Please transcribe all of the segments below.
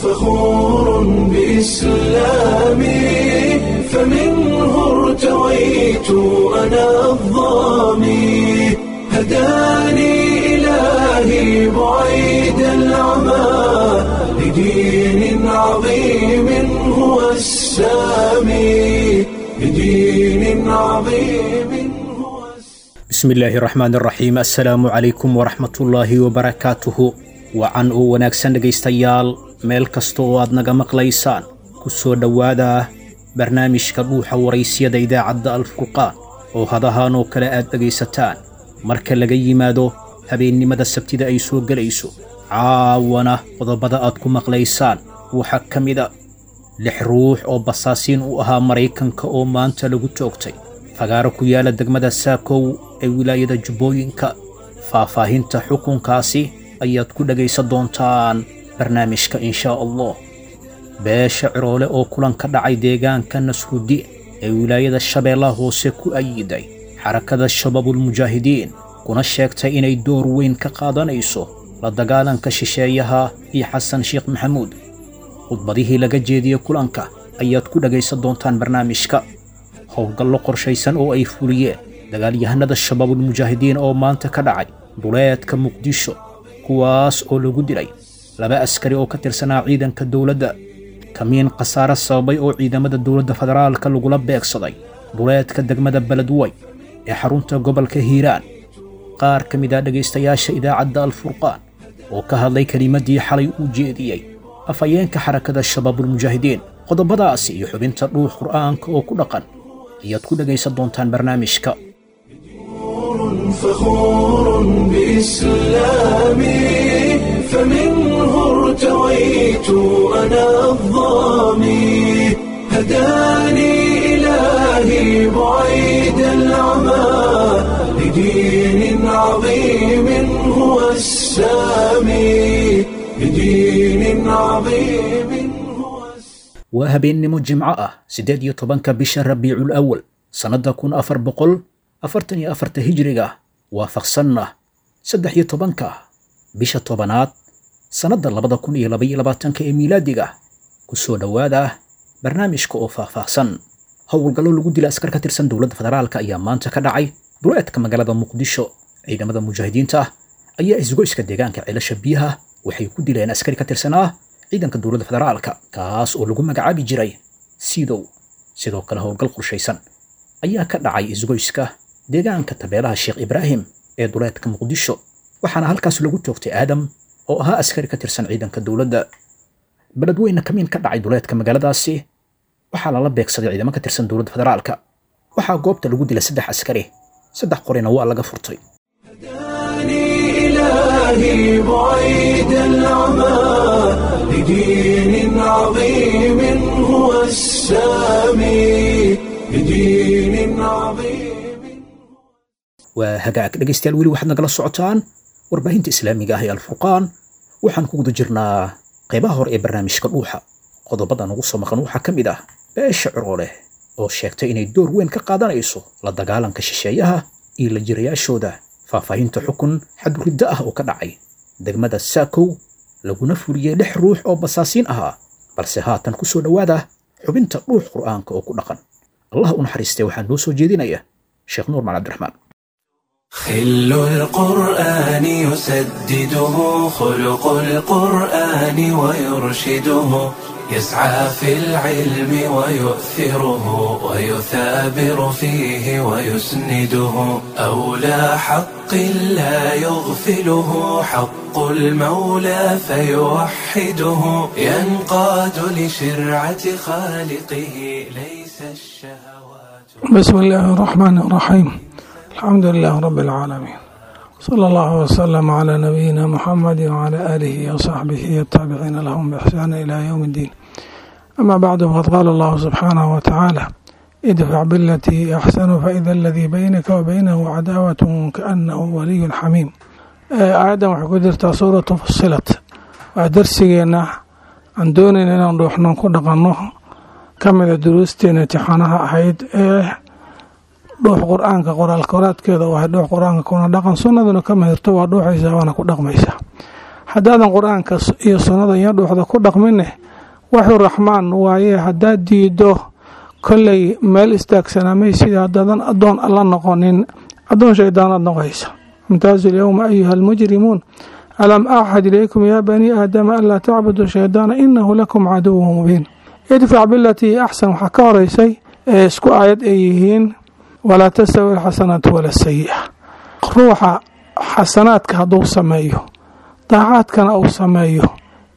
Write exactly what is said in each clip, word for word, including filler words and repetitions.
فخور بإسلامي فمنه ارتويت أنا الظامي هداني إلهي بعيد العمى لدين عظيم هو السامي لدين عظيم هو السامي. Bismillaahi raxmaan raxiim. Assalaamu calaykum waraxmatullaahi wabarakaatuhu. Wacan oo wanaagsan dhegaystayaal, meel kasta oo aad naga maqlaysaan, ku soo dhowaada barnaamijka Dhuuxa Waraysyada idaacadda Alfurqaan oo hadahaan oo kale aad dhegaysataan marka laga yimaado habeennimada Sabtida ay soo gelayso. Caawana qodobada aad ku maqlaysaan waxaa ka mid a lix ruux oo basaasiin u ahaa Maraykanka oo maanta lagu toogtay fagaaro ku yaala degmada Saakow ee wilaayada Jubbooyinka. Faahfaahinta xukunkaasi ayaad ku dhegaysan doontaan barnaamijka inshaa Allah. Beesha Ciroole oo kulan ka dhacay deegaanka Nasrudiin ee wilaayada Shabeellaha Hoose ku ayiday Xarakada Shabaabulmujaahidiin, kuna sheegtay inay door weyn ka qaadanayso la dagaalanka shisheeyaha iyo Xasan Sheekh Maxamuud. Khudbadihii laga jeediyey kulanka ayaad ku dhegaysan doontaan barnaamijka. Howlgallo qorshaysan oo ay fuliyeen dagaalyahanada Shabaabulmujaahidiin oo maanta ka dhacay duleedka Muqdisho, kuwaas oo lagu dilay laba askari oo ka tirsanaa ciidanka dowladda. Kamiin khasaare sababay oo ciidamada dowladda federaalka lagula beegsaday duleedka degmada Beledwey ee xarunta gobolka Hiiraan. Qaar ka mid ah dhegaystayaasha idaacadda Alfurqaan oo ka hadlay kelimadii xalay uu jeediyey afhayeenka Xarakada Shabaabulmujaahidiin. Qodobadaasi iyo xubinta Dhuux Qur'aanka oo ku dhaqan ayaad ku dhegaysan doontaan barnaamijka. فخور بإسلامي فمنه ارتويت أنا الظامي هداني إلهي بعيد العمى لدين عظيم هو السامي لدين عظيم هو السامي. Waa habeennimo Jimco ah, siddeed iyo tobanka bisha Rabiicul Awal, sannadda kun afar boqol afartan iyo afarta hijriga, waafaqsanna saddex iyo tobanka bisha tobanaad, sannadda labada kun iyo laba iyo labaatanka ee miilaadiga. Ku soo dhowaada barnaamijka oo faahfaahsan. Howlgallo lagu dila askar ka tirsan dowladda federaalka ayaa maanta ka dhacay duleedka magaalada Muqdisho. Ciidamada mujaahidiinta ah ayaa isgoyska deegaanka Ceelasha Biyaha waxay ku dileen askari ka tirsanaa ciidanka dowladda federaalka, kaas oo lagu magacaabi jiray Sidow. Sidoo kale howlgal qorshaysan ayaa ka dhacay isgoyska deegaanka Tabeelaha Sheekh Ibraahim ee duleedka Muqdisho, waxaana halkaas lagu toogtay Aadam oo ahaa askari ka tirsan ciidanka dowladda. Beledweyne kamiin ka dhacay duleedka magaaladaasi waxaa lala beegsaday ciidamo ka tirsan dowladda federaalka. Waxaa goobta lagu dilay saddex askari, saddex qorina waa laga furtay. هداني إلهي بعيد العمى لدين عظيم هو السامي لدين عظيم. Waa hagaag dhegaystayaal, weli waxaad nagala socotaan warbaahinta islaamiga ah ee Alfurqaan. Waxaan ku guda jirnaa qaybaha hore ee barnaamijka Dhuuxa. Qodobada nagu soo maqan waxaa ka mid ah beesha Cirooleh oo sheegtay inay door weyn ka qaadanayso la dagaalanka shisheeyaha iyo la jirayaashooda, faahfaahinta xukun xadguriddo ah oo ka dhacay degmada Saakow laguna fuliyey lix ruux oo basaasiin ahaa. Balse haatan ku soo dhowaada xubinta Dhuux Qur'aanka oo ku dhaqan. Allah u naxariistay, waxaa noo soo jeedinaya Sheekh Nuur Macali Cabdiraxmaan. خل القرآن يسدده خلق القرآن ويرشده، يسعى في العلم ويؤثره ويثابر فيه ويسنده، أولى حق لا يغفله حق المولى فيوحده، ينقاد لشرعة خالقه ليس الشهوات. بسم الله الرحمن الرحيم، الحمد لله رب العالمين، صلى الله وسلم على نبينا محمد وعلى آله وصحبه التابعين لهم بإحسان إلى يوم الدين. أما بعد، فقد قال الله سبحانه وتعالى: ادفع بالتي أحسن فإذا الذي بينك وبينه عداوة كأنه ولي حميم. Aayaddan waxay ku jirtaa Suuratu Fusilat. Waa darsigeena aan doonayna inaan dhuuxno ku dhaqanno, ka mida duruusteena imtixaanaha ahayd ee Dhuux Qur-aanka. Qoraal qoraadkeeda waa Dhuux Qur-aanka kuna dhaqan, sunnaduna ka mahirto, waa dhuuxaysaa waana ku dhaqmaysaa. Haddaadan qur-aanka iyo sunnada iyo dhuuxda ku dhaqmineh, waxuu raxmaan waaye haddaad diido, kolley meel istaagsanamay sida haddaadan addoon alla noqonin, addoon shaydaanaad noqoysa. Imtaazu lyowma ayuha almujrimuun, alam axad ilaykum yaa banii aadama anlaa tacbuduu shaydaana inahu lakum caduwu mubiin. Idfac bilatii axsan waxaa ka horeysay ee isku aayad ay yihiin walaa tastawi alxasanaatu wala sayi'a. Ruuxa xasanaadka hadduu sameeyo, daacaadkana uu sameeyo,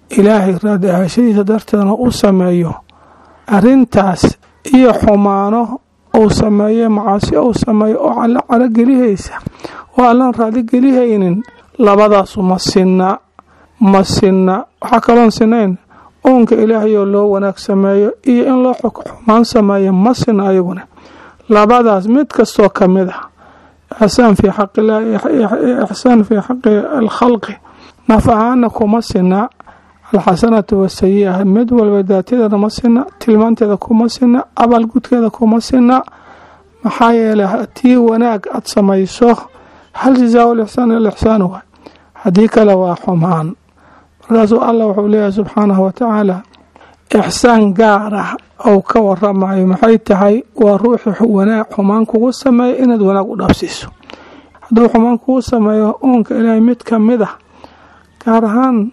ilaahay raadi ahaashadiisa darteedna u sameeyo, arrintaas iyo xumaano uu sameeyo, macaasi uu sameeyo oo alla caragelihaysa oo allaan raaligelihaynin, labadaasu ma sinna, ma sinna. Waxaa kaloon sinayn uunka ilaahayoo loo wanaag sameeyo iyo in loo xumaan sameeyo, ma sinna ayaguna. Labadaas mid kastoo ka mid ah, ixsaan fii xaqillah, ixsaan fii xaqi alkhalqi, naf ahaana kuma sinna. Alxasanatu wasayi-a mid walba daatadeeda ma sinna, tilmaanteeda kuma sinna, abaalgudkeeda kuma sinna. Maxaa yeelay haddii wanaag aad samayso, hal jazaa lixsaan ila ixsaan waay, haddii kale waa xumaan. Markaasuu allah wuxuu leeyahay subxaanahu watacaala ixsaan gaar ah ou ka waramayo. Maxay tahay? Waa ruuxi wanaag xumaan kugu sameeyo inaad wanaag u dhaafsiiso. Hadduu xumaan kugu sameeyo uunka ilaahay mid ka mid ah, gaar ahaan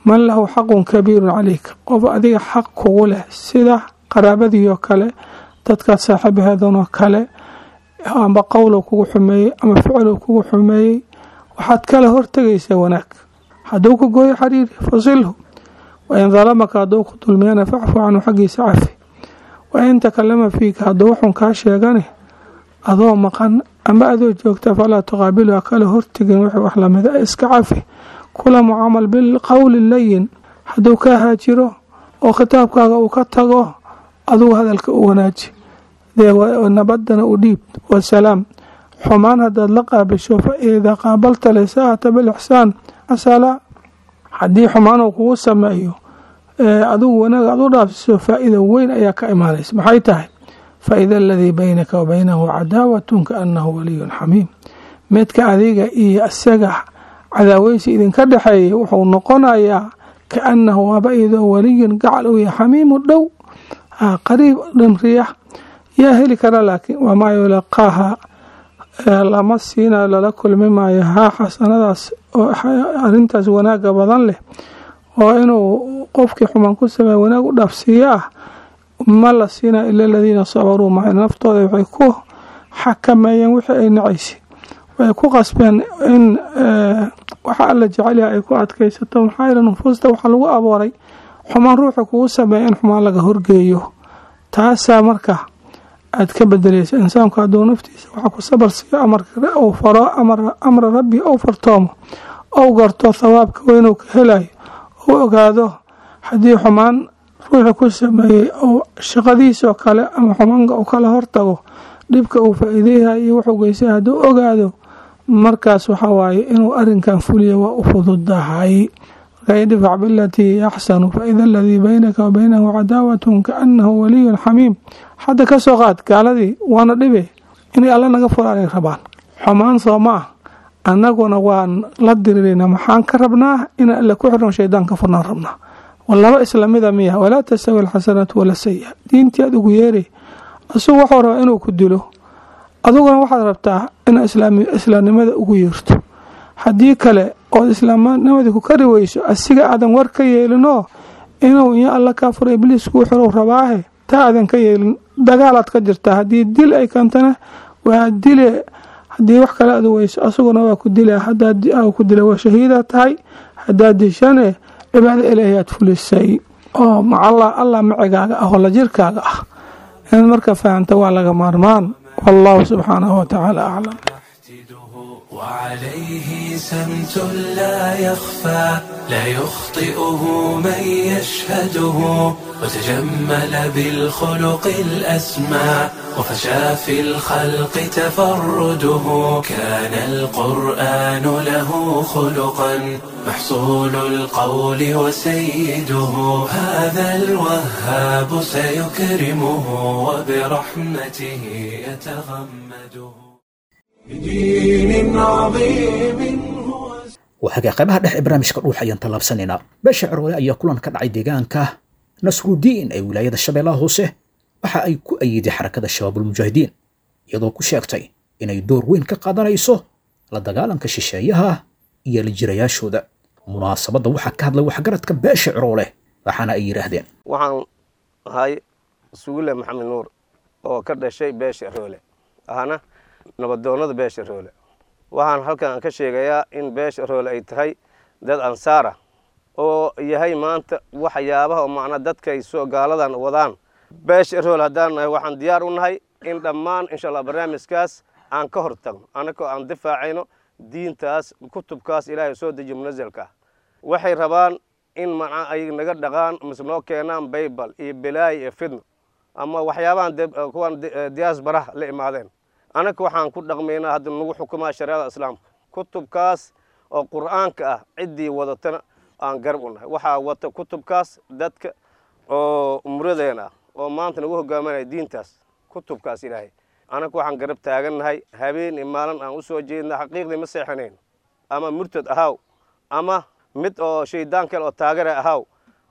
man lahu xaqun kabiirun calayk, qof adiga xaq kugu leh, sida qaraabadiioo kale, dadkaad saaxiibaheedanoo kale, amba qowlow kugu xumeeyey ama ficlow kugu xumeeyey, waxaad kala hortegaysaa wanaag. Hadduu ku gooyo xariiri, fasilhu. Wain dalamaka, hadduu ku dulmiyana, facfu canhu, xaggiisa cafi. Wain takalama fiika, hadduu waxun kaa sheegane adoo maqan ama adoo joogta, falaa tuqaabilu, ha kala hortegin wixii wax lamida, iska cafi, kula mucaamal bilqowli layin. Hadduu kaa haajiro oo khitaabkaaga uu ka tago, adugu hadalka u wanaaji, dee nabadana u dhiib, wasalaam. Xumaan haddaad la qaabisho, fa idaa qaabalta lisaa'ata bilixsaan asala, haddii xumaan uu kugu sameeyo adigu wanaag aad u dhaafsiso, faa-ida weyn ayaa ka imaanaysa. Maxay tahay? Fa-ida aladii baynaka wa baynahu cadaawatun kaannahu waliyun xamiim. Midka adiga iyo isaga cadaaweysi idinka dhexeeyay wuxuu noqonayaa kaannahu waaba iyadoo waliyun gacal uu yahay, xamiimu dhow, qariib dhimriya. Yaa heli kara? Laakiin wamaa yulaqaaha, lama siinayo, lala kulmi maayo haa xasanadaas oo arrintaas wanaaga badan leh oo inuu qofkii xumaan ku sameeya wanaag u dhaafsiiyo ah, ma la siinayo ila aladiina sabaruu. Maca naftooda waxay ku xakameeyeen wixii ay nacaysay, waxay ku qasbeen in waxa alla jecelyaha ay ku adkaysato. Maxaa yeele nufuusta waxaa lagu abuuray xumaan ruuxa kugu sameeya in xumaan laga horgeeyo. Taasaa marka aad ka bedelaysa. Insaanku hadduu naftiisa waxa ku sabar siiyo, amarka uu faro, amra rabbi ou fartoomo, ou garto thawaabka weynuu ka helayo, uu ogaado haddii xumaan ruuxa ku sameeyey ou shaqadiisoo kale ama xumaanka uu kala hortago, dhibka uu faa-iideyahay iyo wuxuu geysay hadduu ogaado, markaas waxa waaye inuu arrinkan fuliyo waa u fududahay. Marka idfac bilatii axsanu faida aladii baynaka wa baynahu cadaawatun kaannahu waliyun xamiim. Hadda ka soo qaad gaaladii waana dhibe inay alla naga furaanay rabaan xumaan, soo ma ah? Annaguna waan la dirirayna. Maxaan ka rabnaa? Inaan alla ku xirno, shaydaan ka furnaan rabnaa. Laba islamida miya? Walaa tastawi alxasanaatu wala sayi-a. Diintii aad ugu yeeray, isagu wuxuu rabaa inuu ku dilo, aduguna waxaad rabtaa inaad islaamnimada ugu yeerto. Haddii kale ood islaamnimadii ku kari weyso, asiga aadan war ka yeelinoo inuu iyo alla kaa furo ibliis kuu xirow rabaahe, taa aadan ka yeelin, dagaalaad ka jirtaa. Haddii dil ay keentana waa dile, haddii wax kale aad weyso asaguna waa ku dila. Hadaad ku dila waa shahiida tahay, haddaad dishane cibaado ilaahi aad fulisay oo macalla allah macigaaga ah oo la jirkaaga ah. Inaad marka fahamta waa laga maarmaan. Wallahu subxaanahu watacaala aclam. وعليه سمت لا يخفى، لا يخطئه من يشهده، وتجمل بالخلق الأسمى، وفشى في الخلق تفرده. كان القرآن له خلقا، محصول القول وسيده. هذا الوهاب سيكرمه وبرحمته يتغمده. بدين عظيم هو. Waxaaga qaybaha dhexe ee barnaamijka Dhuux ayaan tallaabsanaynaa. Beesha Ciroole ayaa kulan ka dhacay deegaanka Nasrudiin ee wilaayada Shabeellaha Hoose waxa ay ku ayiday Xarakada Shabaabulmujaahidiin, iyadoo ku sheegtay inay door weyn ka qaadanayso la dagaalanka shisheeyaha iyo la jirayaashooda. Munaasabadda waxaa ka hadlay waxgaradka beesha Ciroole, waxaana ay yidhaahdeen: Waxaan ahay Sugule Maxamed Nuur oo ka dhashay beesha Roole, ahna nabadoonnada beesha Roole. Waxaan halkan ka sheegayaa in beesha Roole ay tahay dad ansaara oo yahay maanta waxyaabaha oo macnaa dadka ay soo gaaladan wadaan. Beesha Roole haddaan nahay, waxaan diyaar u nahay in dhammaan insha Allah barnaamijkaas aan ka hor tagno, annagoo aan difaacayno diintaas, kutubkaas Ilaahay soo dejiyo munazelka ah. Waxay rabaan in macnaa ay naga dhaqaan mise noo keenaan baybal iyo belaay iyo fidno ama waxyaabahan kuwan diyaasbaraha la imaadeen. Annaga waxaan ku dhaqmaynaa hadda nagu xukumaa shareecada Islaamka, kutubkaas oo Qur'aanka ah. Ciddii wadatana aan garab u nahay. Waxaa wata kutubkaas dadka oo umradeena ah oo maanta nagu hogaaminaya diintaas, kutubkaas Ilaahay. Annaga waxaan garab taagannahay habeen iyo maalin aan usoo jeedna. Xaqiiqdii ma seexanayn. Ama murtad ahaaw ama mid oo shaydaan kale oo taagara ahaaw,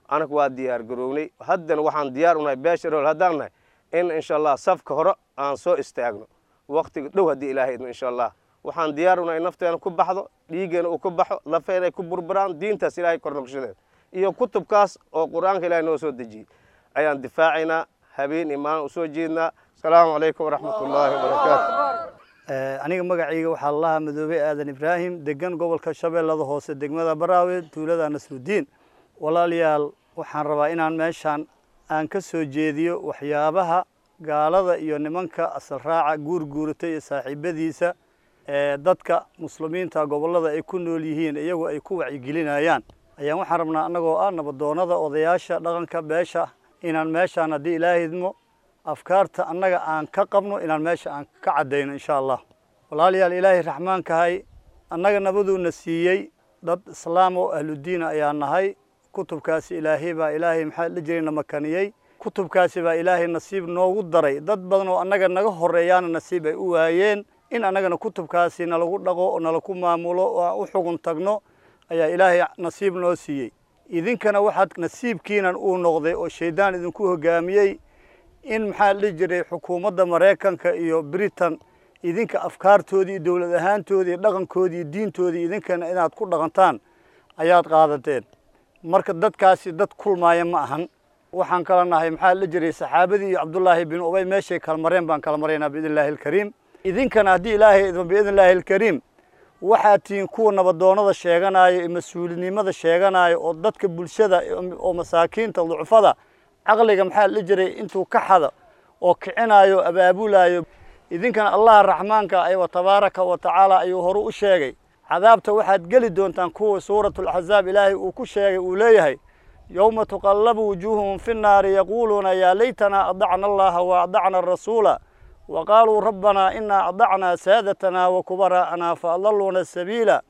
anaga waa diyaar garownay. Haddana waxaan diyaar u nahay beesha Rool haddaan nahay in insha Allah safka hore aan soo istaagno waqtiga dhow haddii Ilaahay idmo. Insha Allah waxaan diyaar u nahay nafteena ku baxdo, dhiiggeena uu ku baxo, lafeena ay ku burburaan. Diintaas Ilaahay kornoqshadeed iyo kutubkaas oo Qur-aanka Ilaahay noo soo dejiyey ayaan difaacaynaa, habeen iyo maalin usoo jeednaa. Asalaamu calaykum waraxmat ullaahi wabarakaatu. Aniga magacayga waxaa lalahaa Madoobey Aadan Ibraahim, degan gobolka Shabeellada Hoose, degmada Baraawe, tuulada Nasrudiin. Walaalayaal, waxaan rabaa inaan meeshaan aan ka soo jeediyo waxyaabaha gaalada iyo nimanka asal raaca guurguuratay iyo saaxiibadiisa ee dadka muslimiinta gobollada ay ku nool yihiin iyagu ay ku wacyigelinayaan. Ayaan waxaan rabnaa annagoo ah nabadoonnada, odayaasha dhaqanka beesha, inaan meeshaan haddii Ilaahay idmo afkaarta annaga aan ka qabno inaan meesha aan ka caddayno insha Allah. Walaalayaal, Ilaahay raxmaankahay annaga nabaduuna siiyey. Dad islaam oo ahludiina ayaa nahay. Kutubkaasi Ilaahay baa Ilaahay maxaa la jiray na makaniyey. Kutubkaasi baa Ilaahay nasiib noogu daray. Dad badan oo annaga naga horeeyaana nasiib ay u waayeen in annagana kutubkaasi nalagu dhaqo oo nalaku maamulo oo aan u xugun tagno ayaa Ilaahay nasiib noo siiyey. Idinkana waxaad nasiibkiinan uu noqday oo shaydaan idinku hoggaamiyey in maxaa la dhihi jiray xukuumadda Maraykanka iyo Britain idinka afkaartoodii iyo dowlad ahaantoodii iyo dhaqankoodii iyo diintoodii idinkana inaad ku dhaqantaan ayaad qaadateen. Marka dadkaasi dad kulmaaya ma ahan. Waxaan kala nahay maxaa la jiray saxaabadii iyo Cabdullaahi bin Ubay, meeshay kala mareen baan kala maraynaa biidni Illaahi alkariim. Idinkana haddii Ilaahay idmo biidni Illaahi alkariim waxaad tihiin kuwa nabadoonnada sheeganaayo iyo mas-uulinimada sheeganaayo oo dadka bulshada oo masaakiinta ducufada caqliga maxaa la jiray intuu ka xado oo kicinaayo abaabulaayo. Idinkana Allaha raxmaanka aywa tabaaraka wa tacaala ayuu horu u sheegay cadaabta waxaad geli doontaan kuwa Suuratulaxzaab Ilaahay uu ku sheegay uu leeyahay: yowma tuqallabu wujuuhuhum fi nnaari yaquuluuna yaa laytanaa adacna Allaha wa adacna arasuula wa qaaluu rabbanaa inaa adacnaa saadatanaa wa kubaraa'anaa fa adalluuna sabiila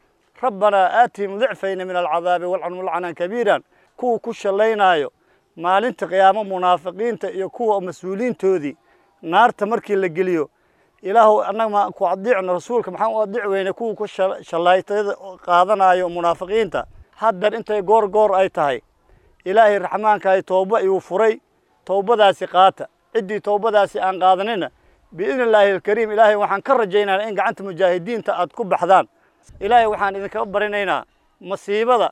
rabbanaa aatihim dicfayni min alcadaabi walcanhum lacnan kabiiran. Kuwa ku shallaynaayo maalinta qiyaamo munaafiqiinta iyo kuwa mas-uuliintoodii naarta markii la geliyo, Ilaahu annaga ma ku adiicno, rasuulka maxaan u adiic weyne, kuwa ku shallaytada qaadanayo munaafiqiinta. Haddar intay goor goor ay tahay Ilaahay raxmaankahay tooba ayuu furay. Towbadaasi qaata. Ciddii towbadaasi aan qaadanina biidni Illaahi alkariim Ilaahay waxaan ka rajaynaynaa in gacanta mujaahidiinta aad ku baxdaan. Ilaahay waxaan idinkaga barinaynaa masiibada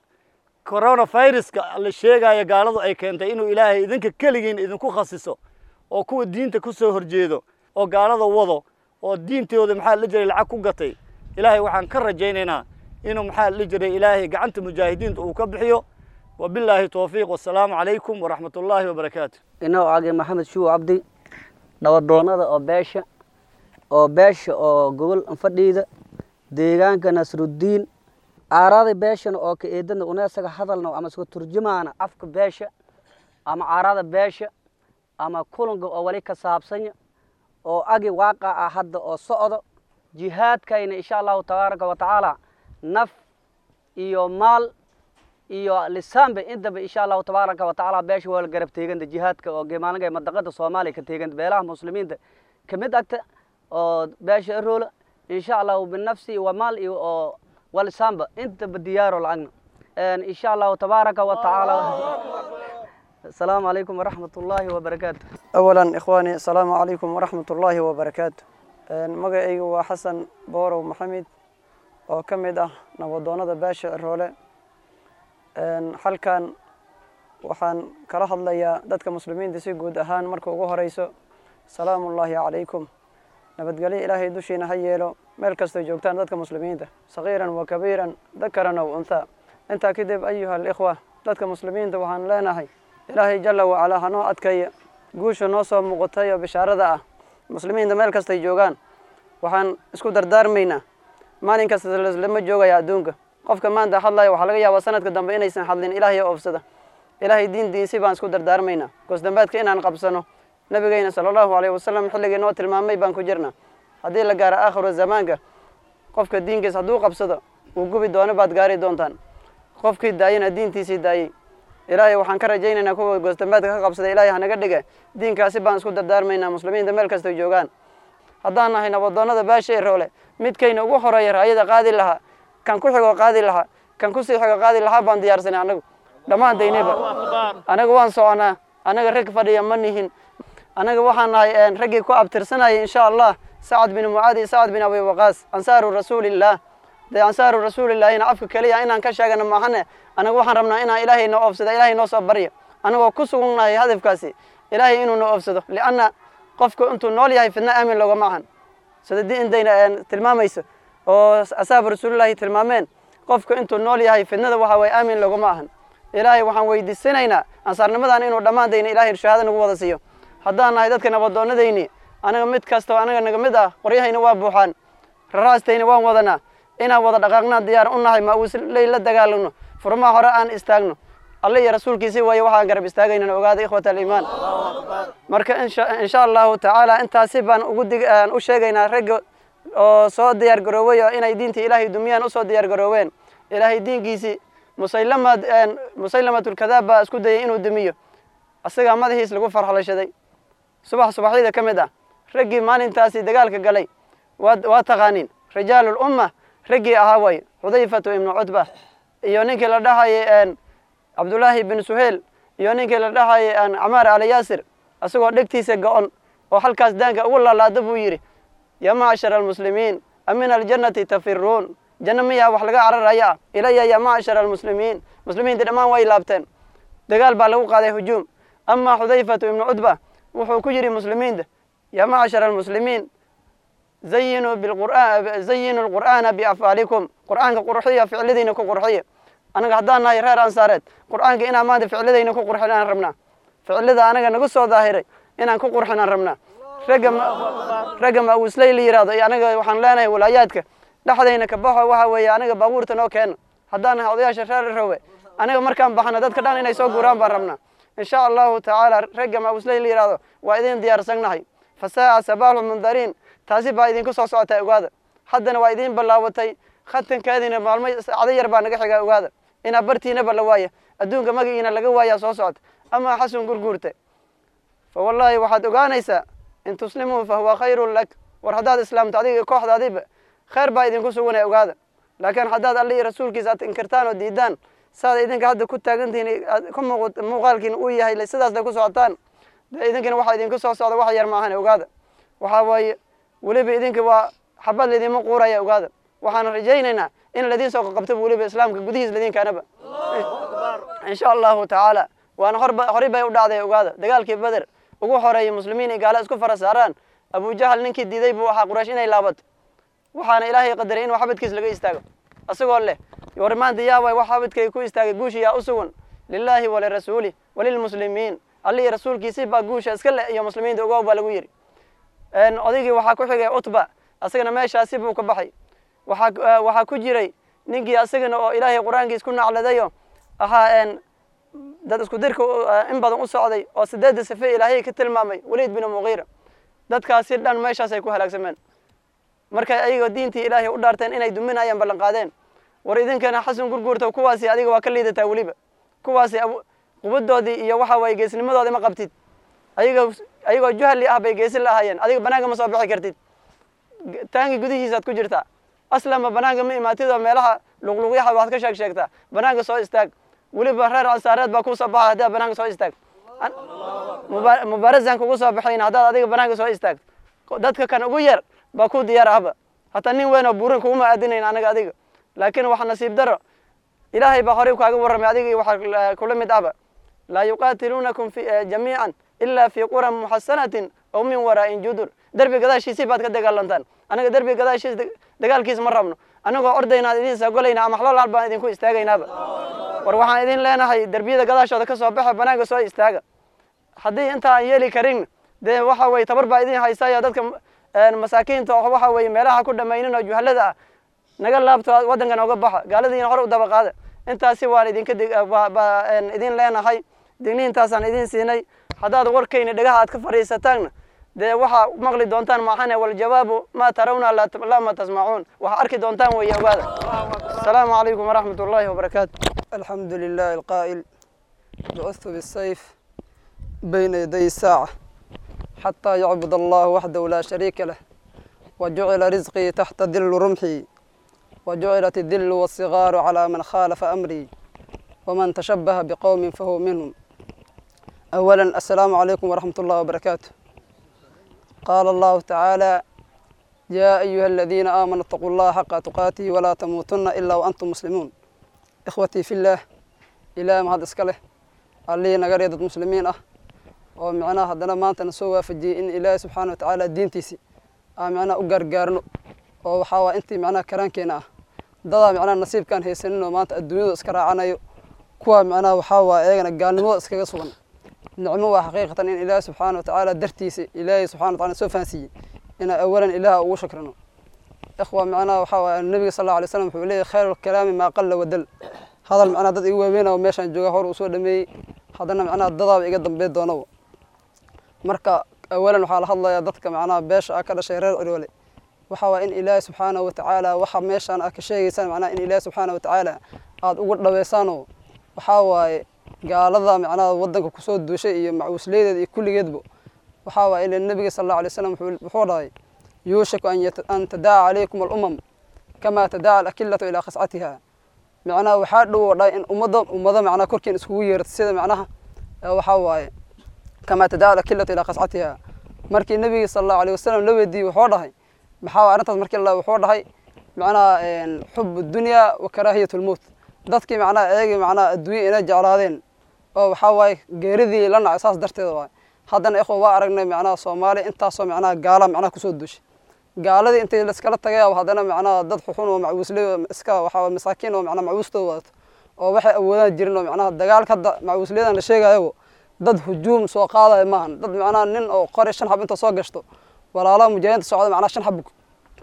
coronaviruska la sheegaayo gaaladu ay keentay inuu Ilaahay idinka keligiin idinku khasiso oo kuwa diinta ku soo horjeedo oo gaalada wado oo diintooda maxaa la jiray lacag ku gatay. Ilaahay waxaan ka rajaynaynaa inuu maxaa la jiray Ilaahay gacanta mujaahidiinta uu ka bixiyo. Wabilaahi towfiiq, wasalaamu calaykum waraxmat ullaahi wabarakaatu. Inoo age Maxamed Shuuw Cabdi, nabadoonnada oo beesha oo beesha oo gobol fadhiida deegaanka Nasruddiin, aarada beeshana oo ka eedana una isaga hadalno ama iska turjumaana afka beesha ama aarada beesha ama kulanka oo wali ka saabsanya oo agi waaqa ah hadda oo socdo jihaadkayna insha Allahu tabaaraka wa tacaala naf iyo maal iyo lisaanba intaba insha Allahu tabaaraka wa tacaala beesha waa la garab teeganta jihaadka oo geemaalinka madaqada Soomaaliya ka teeganta beelaha muslimiinta ka mid agta oo beesha Aroola insha Allahu binafsi wa maal iyo oo Walisaanba intaba diyaaro lacagna insha Allahu tabaaraka wa tacaala. Asalaamu calaykum waraxmat ullaahi wabarakaatu. أولا إخواني، السلام عليكم ورحمة الله وبركاته. Magacaygu waa Xasan Boorow Maxamed oo ka mid ah nabadoonnada beesha Ciroole. Halkan waxaan kala hadlayaa dadka muslimiinta si guud ahaan. Marka ugu horeyso, salaamullaahi calaykum, nabadgelyo Ilaahay dushiina ha yeelo meel kastoo joogtaan dadka muslimiinta, sagiiran wa kabiiran, dakaran aw unthaa. Intaa kadib, ayuha alikhwa, dadka muslimiinta waxaan leenahay Ilaahay jalla wacalaa hanoo adkeeya guusha noo soo muuqatay oo bishaarada ah. Muslimiinta meel kastay joogaan waxaan isku dardaarmaynaa, maalin kasta lama joogaya adduunka. Qofka maanta hadlaya waxaa laga yaabaa sanadka dambe inaysan hadlin. Ilaahay oo oofsada, Ilaahay diin diinsi baan isku dardaarmaynaa, goosdambeedka inaan qabsano. Nabigeyna sala Allahu calayhi wasalam xilligii noo tilmaamay baan ku jirnaa. Haddii la gaaro aakhiru zamaanka, qofka diinkiis hadduu qabsado wuu gubi doono baad gaari doontaan, qofkii daayana diintiisii daayey. Ilaahay waxaan ka rajaynaynaa kuwa goosdambeedka ka qabsada Ilaahay hanaga dhiga. Diinkaasi baan isku dardaarmaynaa muslimiinta meel kastay joogaan. Haddaan nahay nabadoonnada beesha Iroole, midkayna ugu horeeya raayada qaadi lahaa, kan ku xigoo qaadi lahaa, kan kusii xigo qaadi lahaa baan diyaarsanay annagu dhammaantaynaba. Anaga waan soconaa, anaga rag fadhiya ma nihin. Anaga waxaan nahay raggii ku abtirsanayay insha Allah Sacad bin Mucaad iyo Sacad bin Abi Waqaas, ansaaru rasuulillaah. Dee ansaaru rasuulillaahina afka keliya inaan ka sheegano maahane, anaga waxaan rabnaa inaan Ilaahay noo oofsado, Ilaahay noo soo barya, anagoo ku sugannahay hadafkaasi Ilaahay inuu noo oofsado, lianna qofku intuu nool yahay fidna aamin loogama ahan, sida diintayna tilmaamayso oo asaabu rasuulillaahi tilmaameen. Qofku intuu nool yahay fidnada waxa waye aamin loogama ahan. Ilaahay waxaan weydiisanaynaa ansaarnimadan inuu dhammaantayna Ilaahay shahaado nagu wada siiyo. Haddaan nahay dadka nabadoonnadayni, anaga mid kastoo anaga naga mid ah qoryahayna waa buuxaan, raraastayna waan wadanaa, inaan wada dhaqaaqnaa diyaar u nahay, ma-uusley la dagaalagno, furmaha hore aan istaagno. Alle iyo rasuulkiisii waaye waxaan garab istaagaynana, ogaada ikhwata aliimaan. Marka insha Allahu tacaala intaasi baan ugu dig u sheegaynaa ragga oo soo diyaar garoobay oo inay diinta Ilaahay dumiyaan usoo diyaar garoobeen. Ilaahay diinkiisii Musaylama Musaylamatulkadaab baa isku dayay inuu dumiyo, isagaa madaxiis lagu farxlashaday subax subaxyada ka mid ah. Raggii maalintaasi dagaalka galay waa waa taqaaniin, rijaalul umma raggii ahaa way, Xudayfatu ibnu Cutba iyo ninkii la dhahayay Cabdullaahi bin Suheyl iyo ninkii la dhahayay Camaar Ali Yaasir. Isagoo dhegtiisa go-on oo halkaas daanka ugu laalaado buu yidhi: "Yaa macshara almuslimiin, amin aljannati tafiruun? Janno miyaa wax laga cararaya ah? Ilaya yaa macshara almuslimiin." Muslimiintii dhammaan way laabteen, dagaal baa lagu qaaday, hujuum. Amaa Xudayfatu ibnu Cutba wuxuu ku yidhi muslimiinta: "Yaa macshara almuslimiin, zayinuu bilqur'aan, zayinu alqur'aana biafcaalikum." Qur'aanka qurxiya, ficladiina ku qurxiya. Anaga haddaan nahay reer Ansaareed, qur'aanka inaan maanta ficladayna ku qurxin aan rabnaa, ficilada anaga nagu soo daahiray inaan ku qurxin aan rabnaa. Ragga ragga ma-uusley la yidhahdo iyo anaga waxaan leenahay walaayaadka dhexdayna ka baxo. Waxa weeye anaga baabuurta noo keeno. Haddaan nahay odayaasha reer Rowe, anaga markaan baxno dadka dhan inay soo guuraan baan rabnaa insha Allahu tacaala. Ragga ma-uusley la yidhahdo waa idin diyaarsannahay. Fasaa'a sabaaxu mundariin, taasi baa idinku soo socotay, ogaada. Haddana waa idin ballaabatay, khatankeediina maalmo saacado yar baa naga xigaa. Ogaada inaa bartiinaba la waaya, adduunka magaciina laga waayaa soo socota. Amaa Xasan Gurguurte, fa wallaahi waxaad ogaanaysaa, in tuslimuu fa huwa khayrun lak. War haddaad islaamto adiga kooxdaadiba khayr baa idinku suganaya, ogaada. Laakiin haddaad Alle iyo rasuulkiisa aad inkirtaan oo diidaan, saad idinka hadda ku taagantihiin ku muuqaalkiin uu yahay, sidaasna ku socotaan, dee idinkana waxaa idinku soo socda wax yar maahan, ogaada. Waxaa waaye weliba idinka waa xabad laydinma quuraya, ogaada. Waxaan rajaynaynaa in ladiin soo qabto weliba islaamka gudihiis ladinkaanaba insha Allahu tacaala. Waana horba horey bay u dhacday, ogaada. Dagaalkii Beder ugu horeeyay muslimiin iyo gaalo isku fara saaraan, Abujahal ninkii diiday buu ahaa Quraysh inay laabato. Waxaana Ilaahay qadaray inuu xabadkiis laga istaago, isagoo leh: "War maanta yaa waay wax xabadkay ku istaagay? Guusha yaa u sugan? Lilaahi walirasuuli walilmuslimiin." Alle iyo rasuulkiisii baa guusha iska leh iyo muslimiinta, ogow, baa lagu yidhi. Odaygii waxaa ku xigay Cutba, asagana meeshaasi buu ka baxay. Waxaa waxaa ku jiray ninkii asagana oo Ilaahay qur-aankiis ku nacladayo ahaa, dad isku dirka in badan u socday oo sideedda sife Ilaahay ka tilmaamay, Waliid bin Muqiira. Dadkaasi dhan meeshaas ay ku halaagsameen markay ayagoo diintii Ilaahay u dhaarteen inay duminayaan ballan qaadeen. War idinkana Xasan Gurguurta, kuwaasi adiga waa ka liidataa weliba. Kuwaasi qubadoodii iyo waxa waye geesnimadoodii ma qabtid. Ayaga ayagoo juhali ah bay geesi lahaayeen. Adiga banaanka ma soo bixi kartid, taangi gudihiisaad ku jirtaa. Aslanba banaanka ma imaatid oo meelaha luqluqyaha waxaad ka sheeg sheegtaa. Banaanka soo istaag, weliba reer Ansaareed baa kuu soo baxa haddaad banaanka soo istaag. Mubaarazan kugu soo baxayn haddaad adiga banaanka soo istaagto. Dadka kan ugu yar baa ku diyaar ahba, hataa nin weyn oo buurin kuguma aadinayn anaga adiga. Laakiin waxa nasiib daro, Ilaahay baa horey kaaga warramay adiga iyo waxa kula mid ahba: laa yuqaatiluunakum jamiican ilaa fii quran muxasanatin aw min waraa'in judur. Derbi gadaashiisii baad ka dagaalantaan. Anaga derbi gadaashiis dagaalkiis ma rabno. Anagoo ordaynaa idin soo golayna ama xlool baan idinku istaagaynaaba. War waxaan idin leenahay, derbiyada gadaashooda ka soo baxa, banaanka soo istaaga. Haddii inta aan yeeli karin, dee waxa weye tabar baa idin haysaya. Dadka masaakiinta oo waxa weye meelaha ku dhamaynin oo juhalada ah, naga laabto, waddanka nooga baxa, gaaladiina hore u daba qaada. Intaasi waan idinka idin leenahay, digniintaasaan idin siinay. Haddaad warkayna dhagaha aad ka fadhiisataanna, dee waxaa maqli doontaan maaxane. Waljawaabu maa tarawna laa ma tasmacuun, waxaa arki doontaan weeye, ogaada. Asalaamu calaykum waraxmat ullaahi wabarakaatu. الحمد لله القائل: بعثت بالسيف بين يدي الساعة حتى يعبد الله وحده لا شريك له، وجعل رزقي تحت ظل رمحي، وجعلت الذل والصغار على من خالف أمري، ومن تشبه بقوم فهو منهم. أولا، السلام عليكم ورحمة الله وبركاته. قال الله تعالى: يا أيها الذين آمنوا اتقوا الله حق تقاته ولا تموتن إلا وأنتم مسلمون. إخوتي في الله، إلى ما هذا إسكاله اللي نقري ضد مسلمين أه ومعناها هذا ما أنت نسوى في إن إله سبحانه وتعالى دين تيسي آه معناه أقر oo waxaa waa intii macnaha karaankeena ah. Dadaa macnaha nasiibkaan haysanin oo maanta adduunyadu iska raacanayo, kuwa macnaha waxaa waa iyagana gaalnimada iskaga sugan. Nicmo waa xaqiiqatan in Ilaahay subxaana wa tacaala dartiisa Ilaahay subxana wa taala soo fahansiiyey inaan awalan Ilaaha ugu shakrino. Ikhwa, macnaha waxaa waa nabiga sal allahu alay wasalam wuxuu leeyahay: khayru lkalaami maa qalla wadal. Hadal macnaha dad igu waaweyn oo meeshaan jooga hor uu soo dhameeyey, haddana macnaha dadaaba iga dambeyn doonaba. Marka awalan waxaa la hadlayaa dadka macnaha beesha ah ka dhashay reer Ciroole. Waxa waa in Ilaahay subxaanahu wa tacaala waxa meeshaan aad ka sheegaysaan macnaha in Ilaahay subxaanahu wa tacaala aad ugu dhaweysaanoo waxaa waaye gaalada macnaha waddanka kusoo duushay iyo macuusleydeeda iyo kulligeedba. Waxaa waaye ila nabiga sal allahu alay wasalam wuxuu dhahay: yuushaku an an tadaaca calaykum alumam kama tadaaca alakillatu ilaa qascatiha. Macnaha waxaa dhow oo dhahay in ummadda ummado macnaha korkeen iskugu yeerto sida macnaha waxaa waaye kama tadaaca alakillatu ilaa qascatiha. Markii nabiga sal allahu alayh wasalam la weydiiyey, wuxuu dhahay: maxaa arrintaas? Markii la wuxuu dhahay macnaha xub dunya wa karaahiyat lmowt. Dadkii macnaha iyagii macnaha adduunya inay jeclaadeen oo waxaa waaye geeridii la nacay, saas darteeda waaye. Haddana ikhwa waa aragnay macnaha Soomaaliya intaasoo macnaha gaala macnaha kusoo duushay. Gaaladii intay laiskala tagay, haddana macnaha dad xuxun oo macuusley oo iska waxaa masaakiin oo macnaha macuustooda wadato oo waxay awoodaan jirin oo macnaha dagaalka hadda macuusleyadan la sheegayo dad hujuum soo qaadaya maahan. Dad macnaha nin oo qori shan xab inta soo gashto walaalaha mujaahidiinta socda macnaha shan xab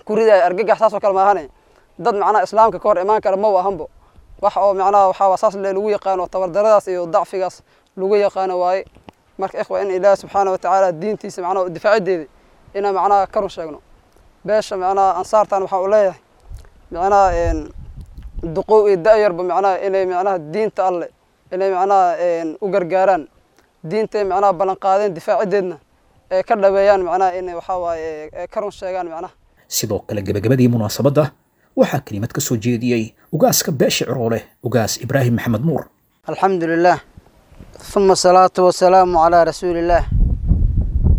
ku ridaya argagax, saas oo kale maahane. Dad macnaha islaamka ka hor imaan kara ma ahanbo. Wax oo macnaha waxaa saas le lagu yaqaano tabardaradaas iyo dacfigaas lagu yaqaano waaye. Marka ikhwa, in Ilaahi subxaana wa tacaala diintiisa macnaha difaacideeda inaan macnaha ka run sheegno. Beesha macnaha Ansaartan waxaa u leeyahay macnaha duqow iyo da-yarba macnaha inay macnaha diinta Alle inay macnaha u gargaaraan, diintay macnaha ballan qaadeen difaacideedna ee ka dhaweeyaan, macnaha inay waxaa waaye ka run sheegaan macnaha. Sidoo kale gebagabadii munaasabadda waxaa kelimad ka soo jeediyey ugaaska beesha Ciroole, Ugaas Ibraahim Maxamed Nuur. الحمد لله، ثم الصلاة والسلام على رسول الله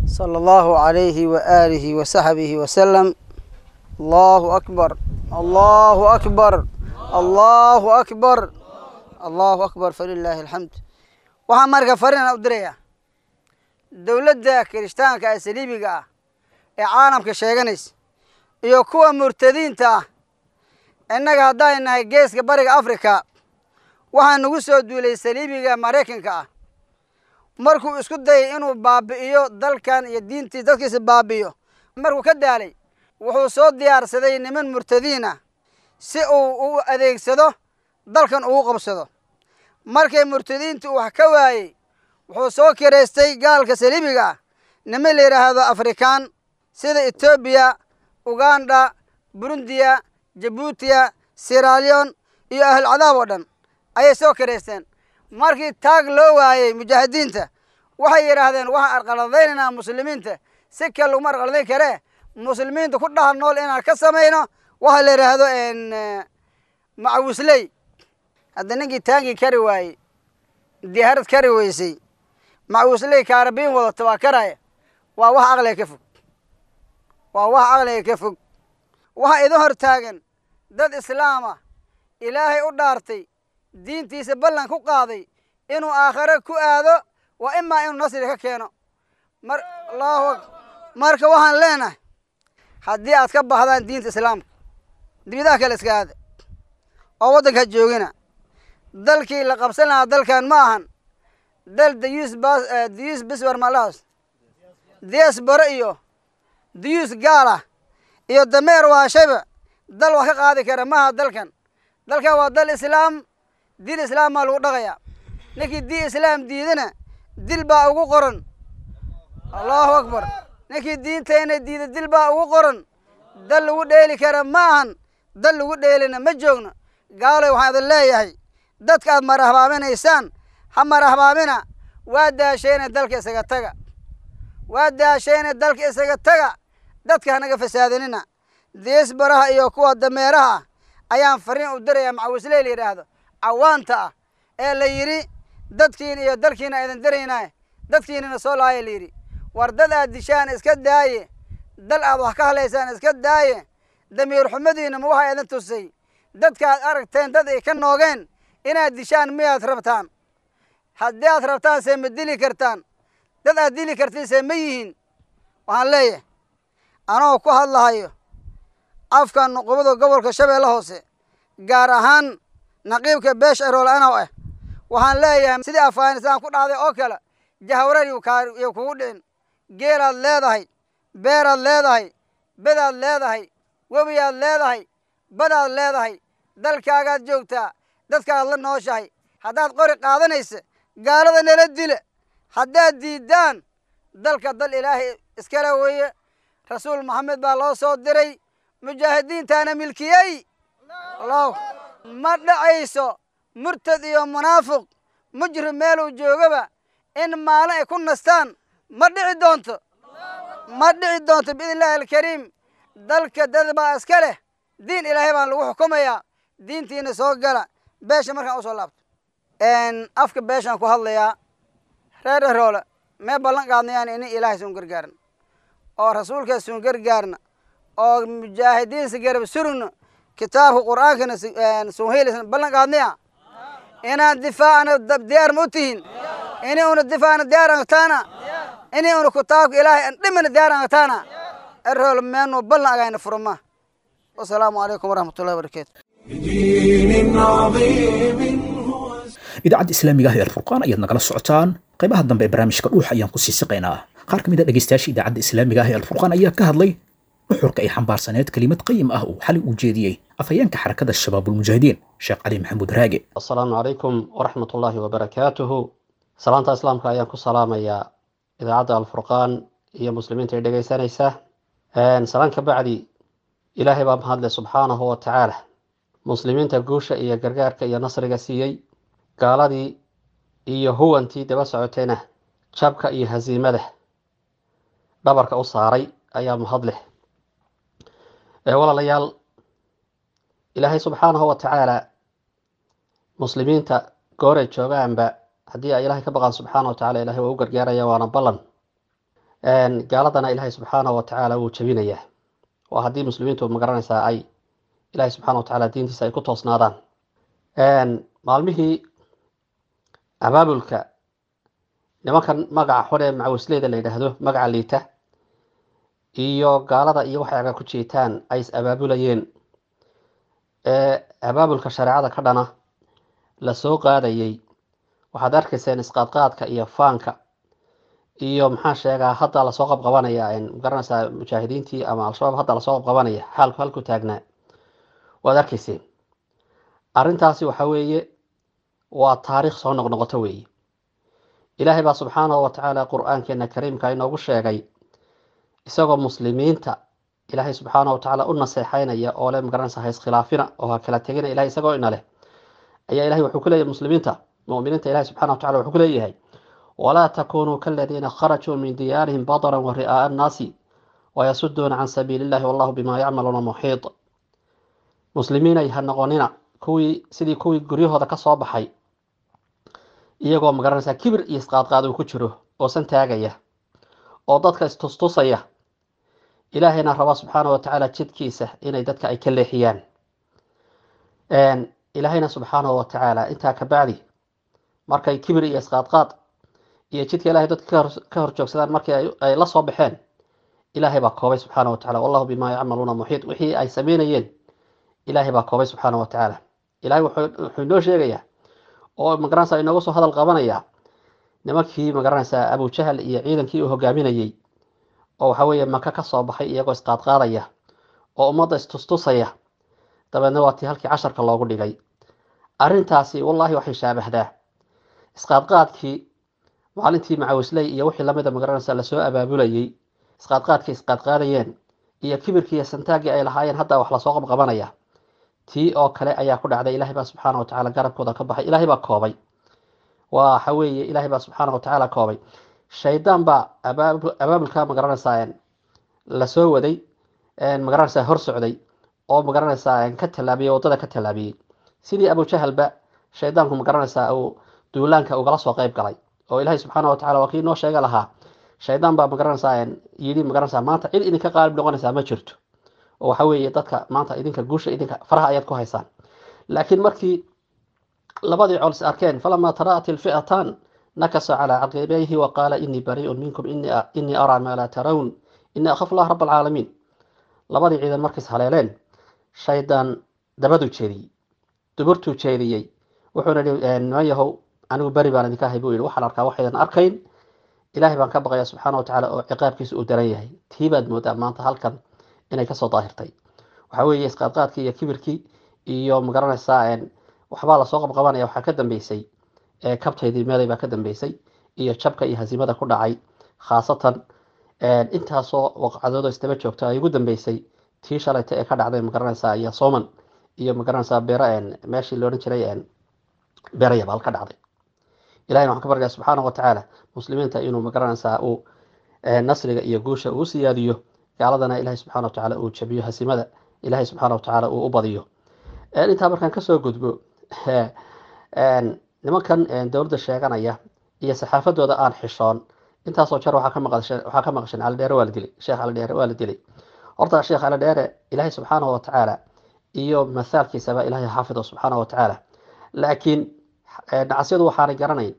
صلى الله عليه وآله وصحبه وسلم. الله أكبر، الله أكبر، الله أكبر، الله أكبر، فلله الحمد. Waxaan marka fariin u diraya dowladda kirishtaanka ee saliibiga ah ee caalamka sheeganaysa iyo kuwa murtadiinta ah. Innaga haddaan nahay geeska bariga Afrika, waxaa nagu soo duulay saliibiga Maraykanka ah. Markuu isku dayay inuu baabi'iyo dalkan iyo diintii dadkiisa baabi'iyo, markuu ka daalay, wuxuu soo diyaarsaday niman murtadiin ah si uu u adeegsado dalkan ugu qabsado. Markay murtadiintu wax ka waayey, wuxuu soo kireystay gaalka saliibiga ah niman la yidhaahdo Afrikaan sida Etoobiya, Uganda, Burundiya, Jabuutiya, Sieraleon iyo ahlulcadaab oo dhan ayay soo kireysteen. Markii taag loo waayey mujaahidiinta, waxay yidhaahdeen: waxaan arqaladaynaynaa muslimiinta, si kale laguma arqaladayn karee, muslimiinta ku dhaha nool inaan ka samayno Waxa la yidhaahdo macawisley, hadda ninkii taangi kari waayey, diyaarad kari weysay, macawisley kaarabiin wadata waa karaya. Waa wax aqliga ka fog, waa wax aqliga ka fog. Waxa idin hor taagan dad islaam ah, Ilaahay u dhaartay, diintiisa ballan ku qaaday inuu aakhare ku aado, waa imaa inuu nasri ka keeno. Mar Allahu akbar. Marka waxaan leenahay, haddii aad ka baxdaan diinta islaamka, dibidaha kale iska aada oo waddanka joogina. Dalkii la qabsan lahaa dalkan ma ahan dal dayuus bas, dayuus biswar malahaas diaspora iyo dayuus gaal ah iyo dameer waashayba dal wax ka qaadi kara maaha dalkan. Dalkan waa dal islaam, diin islaam baa lagu dhaqayaa. Ninkii diin islaam diidana dil baa ugu qoran. Allahu akbar. Ninkii diintayna diida dil baa ugu qoran. Dal lagu dheeli kara ma ahan, dal lagu dheelina ma joogno. Gaalay, waxaan idin leeyahay, dadka aad marahbaaminaysaan ha marahbaamina. Waa daashayna dalka isaga taga, waa daashayna dalka isaga taga, dadka hanaga fasaadinina. Diisbaraha iyo kuwa dameeraha ah ayaan fariin u dirayaa, macawisley la yidhaahdo, cawaanta ah ee la yidhi dadkiina iyo dalkiina idin diraynaa, dadkiinana soo laaya la yidhi. War dad aad dishaan iska daaye, dal aad wax ka halaysaan iska daaye. Damiir xumadiina ma waxaa idin tusay dadka aad aragteen dad ay ka noogeen inaad dishaan miyaad rabtaan? Haddii aad rabtaan see ma dili kartaan? Dad aad dili kartiin see ma yihiin? Waxaan leeyahay, anoo ku hadlahayo afka nuqubada gobolka Shabeelle Hoose, gaar ahaan naqiibka beesha Erool anow ah, waxaan leeyahay sidii Afghanistan ku dhacday oo kale jahwareer yuu kugu dhicin. Geelaad leedahay, beeraad leedahay, bedaad leedahay, webiyaad leedahay, badaad leedahay, dalkaagaad joogtaa, dadkaad la nooshahay. Haddaad qori qaadanaysa, gaalada nala dila. Haddaad diiddaan, dalka dal Ilaahay iskale weeye, Rasuul Maxamed baa loo soo diray, mujaahidiintaana milkiyey. Allahu ma dhacayso murtad iyo munaafiq mujrim meeluu joogaba in maalin ay ku nastaan, ma dhici doonto, ma dhici doonto biidn illaahi alkariim. Dalka dad baa iska leh, diin Ilaahay baan lagu xukumayaa, diintiina soo gala. Beesha markaan usoo laabto, afka beeshaan ku hadlayaa, reer Eroole mee ballan qaadnayaan ini Ilaahay suun gargaarna oo rasuulkaas suun gargaarna oo mujaahidiinsa garab surugna, kitaabka Qur'aankana suun heelaysan ballan qaadnaya. Inaan difaacna diyaar ma u tihiin? Ini una difaacna diyaar angtaana? Ini una kitaabka Ilaahay an dhimana diyaar angtaana? Eroole meenu ballan agayna furma. Wasalaamu calaykum waraxmatullahi wabarakaatu. بدين عظيم هو Idaacadda islaamiga ah ee Alfurqaan ayaad nagala socotaan. Qaybaha dambe ee barnaamijka Dhuuxa ayaan kusii siqaynaa. Qaar ka mid a dhegeystayaasha idaacadda islaamiga ah ee Alfurqaan ayaa ka hadlay nuxurka ay xambaarsaneed kelimad qayim ah uu xalay u jeediyey afhayeenka xarakada Shabaabulmujaahidiin, Sheekh Cali Maxamuud Raage. Asalaamu calaykum waraxmat ullaahi wabarakaatuhu. Salaanta islaamka ayaan ku salaamayaa idaacadda Alfurqaan iyo muslimiinta ay dhegeysanaysa. Salaan ka bacdi, Ilaahay baa mahadle subxaanahu wa tacaala, muslimiinta guusha iyo gargaarka iyo nasriga siiyey, gaaladii iyo huwantii daba socotayna jabka iyo hasiimada dhabarka u saaray ayaa mahad leh. Walaalayaal, Ilaahay subxaanahu wa tacaala muslimiinta gooray joogaanba haddii ay Ilahay ka baqaan subxaana wa tacala, Ilahay waa u gargaaraya, waana ballan. Gaaladana Ilaahay subxaanahu wa tacaala wuu jabinayaa, waa haddii muslimiintu magaranaysaa ay Ilahay subxana wa tacaala diintiisa ay ku toosnaadaan. Maalmihii abaabulka nimankan magaca xun ee macawisleyda la yidhaahdo, magaca liita, iyo gaalada iyo waxay aga ku jiitaan ay is abaabulayeen ee abaabulka shareecada ka dhana la soo qaadayay, waxaad arkayseen isqaadqaadka iyo faanka iyo maxaa sheegaa, hadda lasoo qabqabanaya, magaranaysaa, mujaahidiintii ama Al-Shabaab hadda lasoo qabqabanaya. Xaalku halku taagnaa waad arkayseen. Arrintaasi waxa weeye waa taariikh soo noqnoqoto weeye. Ilaahay baa subxaanahu wa tacaala Qur-aankeena kariimka inoogu sheegay, isagoo muslimiinta Ilaahay subxaanahu wa tacaala u naseexaynaya oo le magaranaysa ha iskhilaafina oo ha kala tegina. Ilahay isagoo ina leh ayaa Ilahay wuxuu ku leeyahay muslimiinta mu'miniinta, Ilahay subxana wa tacala wuxuu ku leeyahay: walaa takunuu kaladiina kharajuu min diyaarihim badaran wa ri'aa'a annaasi wayasuduuna can sabiili illahi wallahu bima yacmaluuna muxiit. Muslimiinay, ha noqonina kuwii sidii kuwii guryahooda ka soo baxay iyagoo, magaranaysaa, kibir iyo isqaadqaad uu ku jiro oo san taagaya oo dadka istustusaya, Ilaahayna raba subxaana wa tacaala jidkiisa inay dadka ay ka leexiyaan. Ilaahayna subxaanahu wa tacaala intaa ka bacdi markay kibir iyo isqaadqaad iyo jidka Ilahay dadka ka hor joogsadaan markii ay la soo baxeen, Ilaahay baa koobay subxaana wa tacala. Wallahu bimaa yacmaluuna muxiit. Wixii ay sameynayeen Ilaahay baa koobay subxaana wa tacaala. Ilahay wuxuu inoo sheegayaa oo, magaranaysaa, inooga soo hadal qabanayaa nimankii, magaranaysaa, Abujahal iyo ciidankii uu hogaaminayey oo waxa weeye Maka ka soo baxay iyagoo isqaadqaadaya oo ummadda istustusaya. Dabeedna waa tii halkii casharka loogu dhigay. Arrintaasi wallaahi waxay shaabahdaa isqaadqaadkii maalintii macawisley iyo wixii lamida, magaranaysaa, lasoo abaabulayey, isqaadqaadkii isqaadqaadayeen iyo kibirkii iyo santaaggii ay lahaayeen. Hadda wax lasoo qabqabanaya tii oo kale ayaa ku dhacday. Ilahay baa subxaana wa tacaala garabkooda ka baxay. Ilaahay baa koobay. Waxa weeye Ilaahay baa subxaana wa tacaala koobay. Shaydaan baa abaabulka, magaranaysaa, lasoo waday, magaranaysaa, hor socday oo, magaranaysaa, ka tallaabiyey waddada, ka tallaabiyey sidii Abujahalba shaydaanku, magaranaysaa, uu duulaanka ugala soo qayb galay. Oo Ilaahay subxaana wa tacala waa kii inoo sheega lahaa, shaydaan baa, magaranaysaa, yidhi, magaranaysaa, maanta cid idinka qaalib noqonaysaa ma jirto oo waxa weeye dadka maanta idinka guusha idinka faraha ayaad ku haysaan. Laakiin markii labadii col is arkeen, falamaa tara'at ilfi'atan nakasa calaa caqibayhi wa qaala inii barii'un minkum, inii araa maa laa tarawun, inii akhafu allah rab alcaalamiin. Labadii ciidan markiis haleeleen, shaydaan dabaduu jeediyey, duburtuu jeediyey, wuxuuna yihi, niman yahow, anigu beri baan idinka ahay buu yidhi. Waxaan arkaa waxaydan arkayn. Ilaahay baan ka baqaya subxaana wa tacaala oo ciqaabkiisa uu daran yahay. Tii baad moodaa maanta halkan inay kasoo daahirtay. Waxa weeye isqaadqaadkii iyo kibirkii iyo, magaranaysaa, waxbaa lasoo qabqabanaya, waxaa ka dambeysay kabtaydii meeday baa ka dambeysay iyo jabka iyo hasiimada ku dhacay, khaasatan intaasoo waqcadood oo isdaba joogta ay ugu dambeysay tii shalayta ee ka dhacday, magaranaysaa, iyo Soman iyo, magaranaysaa, beera meeshii la odhan jiray Beera Yabaal ka dhacday. Ilahayna waxaan ka baryaa subxaana wa tacaala muslimiinta inuu, magaranaysaa, uu nasriga iyo guusha uu siyaadiyo, gaaladana Ilahay subxana wa tacaala uu jabiyo, hasiimada Ilahay subxaana wa tacaala uu u badiyo. Intaa markaan kasoo gudbo, nimankan dowladda sheeganaya iyo saxaafadooda aan xishoon, intaasoo jeer waxaa ka maqasheen waxaa ka maqasheen Cali Dheere waa la dilay, Sheekh Cali Dheere waa la dilay. Horta Sheekh Cali Dheere Ilaahay subxaanahu wa tacaala iyo mathaalkiisaba Ilaahay xaafido subxaanahu wa tacaala. Laakiin nacasyadu waxaanay garanayn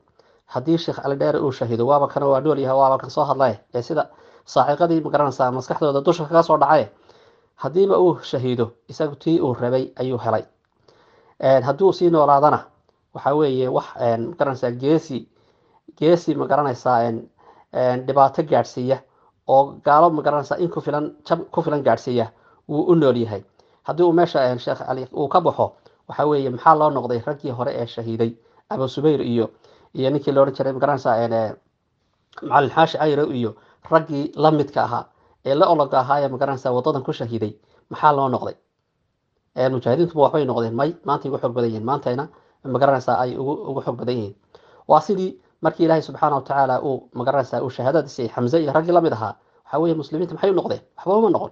haddii Sheekh Cali Dheere uu shahido, waaba kana waa nool yahay, waaba kan soo hadlay ee sida saaciqadii, magaranaysaa, maskaxdooda dusha kaga soo dhacay. Haddiiba uu shahiido, isagu tii uu rabay ayuu helay. Haddii uu sii noolaadana, waxa weeye wax, magaranaysaa, geesi geesi, magaranaysaa, dhibaato gaadhsiiya oo gaalo, magaranaysaa, in ku filan jab ku filan gaadhsiiya wuu u nool yahay. Haddii uu meesha Sheekh Cali uu ka baxo, waxa weeye maxaa loo noqday raggii hore ee shahiiday, Abu Subayr iyo iyo ninkii la odhan jiray, magaranaysaa, Macalin Xaashi Cayro iyo raggii la midka ahaa ee la ologa ahaa ee, magaranaysaa, wadadan ku shahiiday? Maxaa loo noqday? Mujaahidiintu ma waxbay noqdeen? May, maantay ugu xoog badan yihiin, maantayna, magaranaysaa, ay ugu ugu xoog badan yihiin. Waa sidii markii Ilaahay subxaana wa tacaala uu, magaranaysaa, uu shahaadada siiyey Xamse iyo raggii lamid ahaa. Waxa weeye muslimiinta maxay u noqdeen? Waxba uma noqon.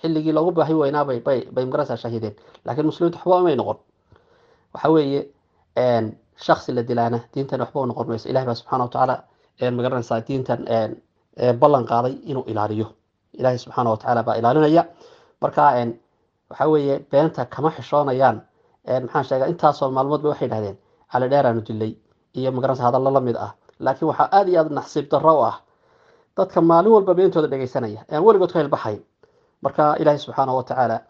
Xilligii loogu baahi weynaa bay bay bay, magaranaysaa, shahiideen, laakiin muslimiintu waxba umay noqon. Waxa weeye shaksi la dilaana diintan waxba u noqon mayso. Ilahay baa subxaana wa tacaala, magaranaysaa, diintan ballan qaaday inuu ilaaliyo. Ilaahay subxaana wa tacaala baa ilaalinaya. Marka waxa weeye beenta kama xishoonayaan. Maxaan sheegaa, intaasoo maalmood ba waxay dhahdeen Cali Dheeraanu dilay iyo, magaranaysa, hadallo la mid ah. Laakiin waxaa aada iyo aada nasiib darro u ah dadka maalin walba beentooda dhegeysanaya aan weligood ka hilbaxayn. Marka Ilaahay subxaana wa tacaala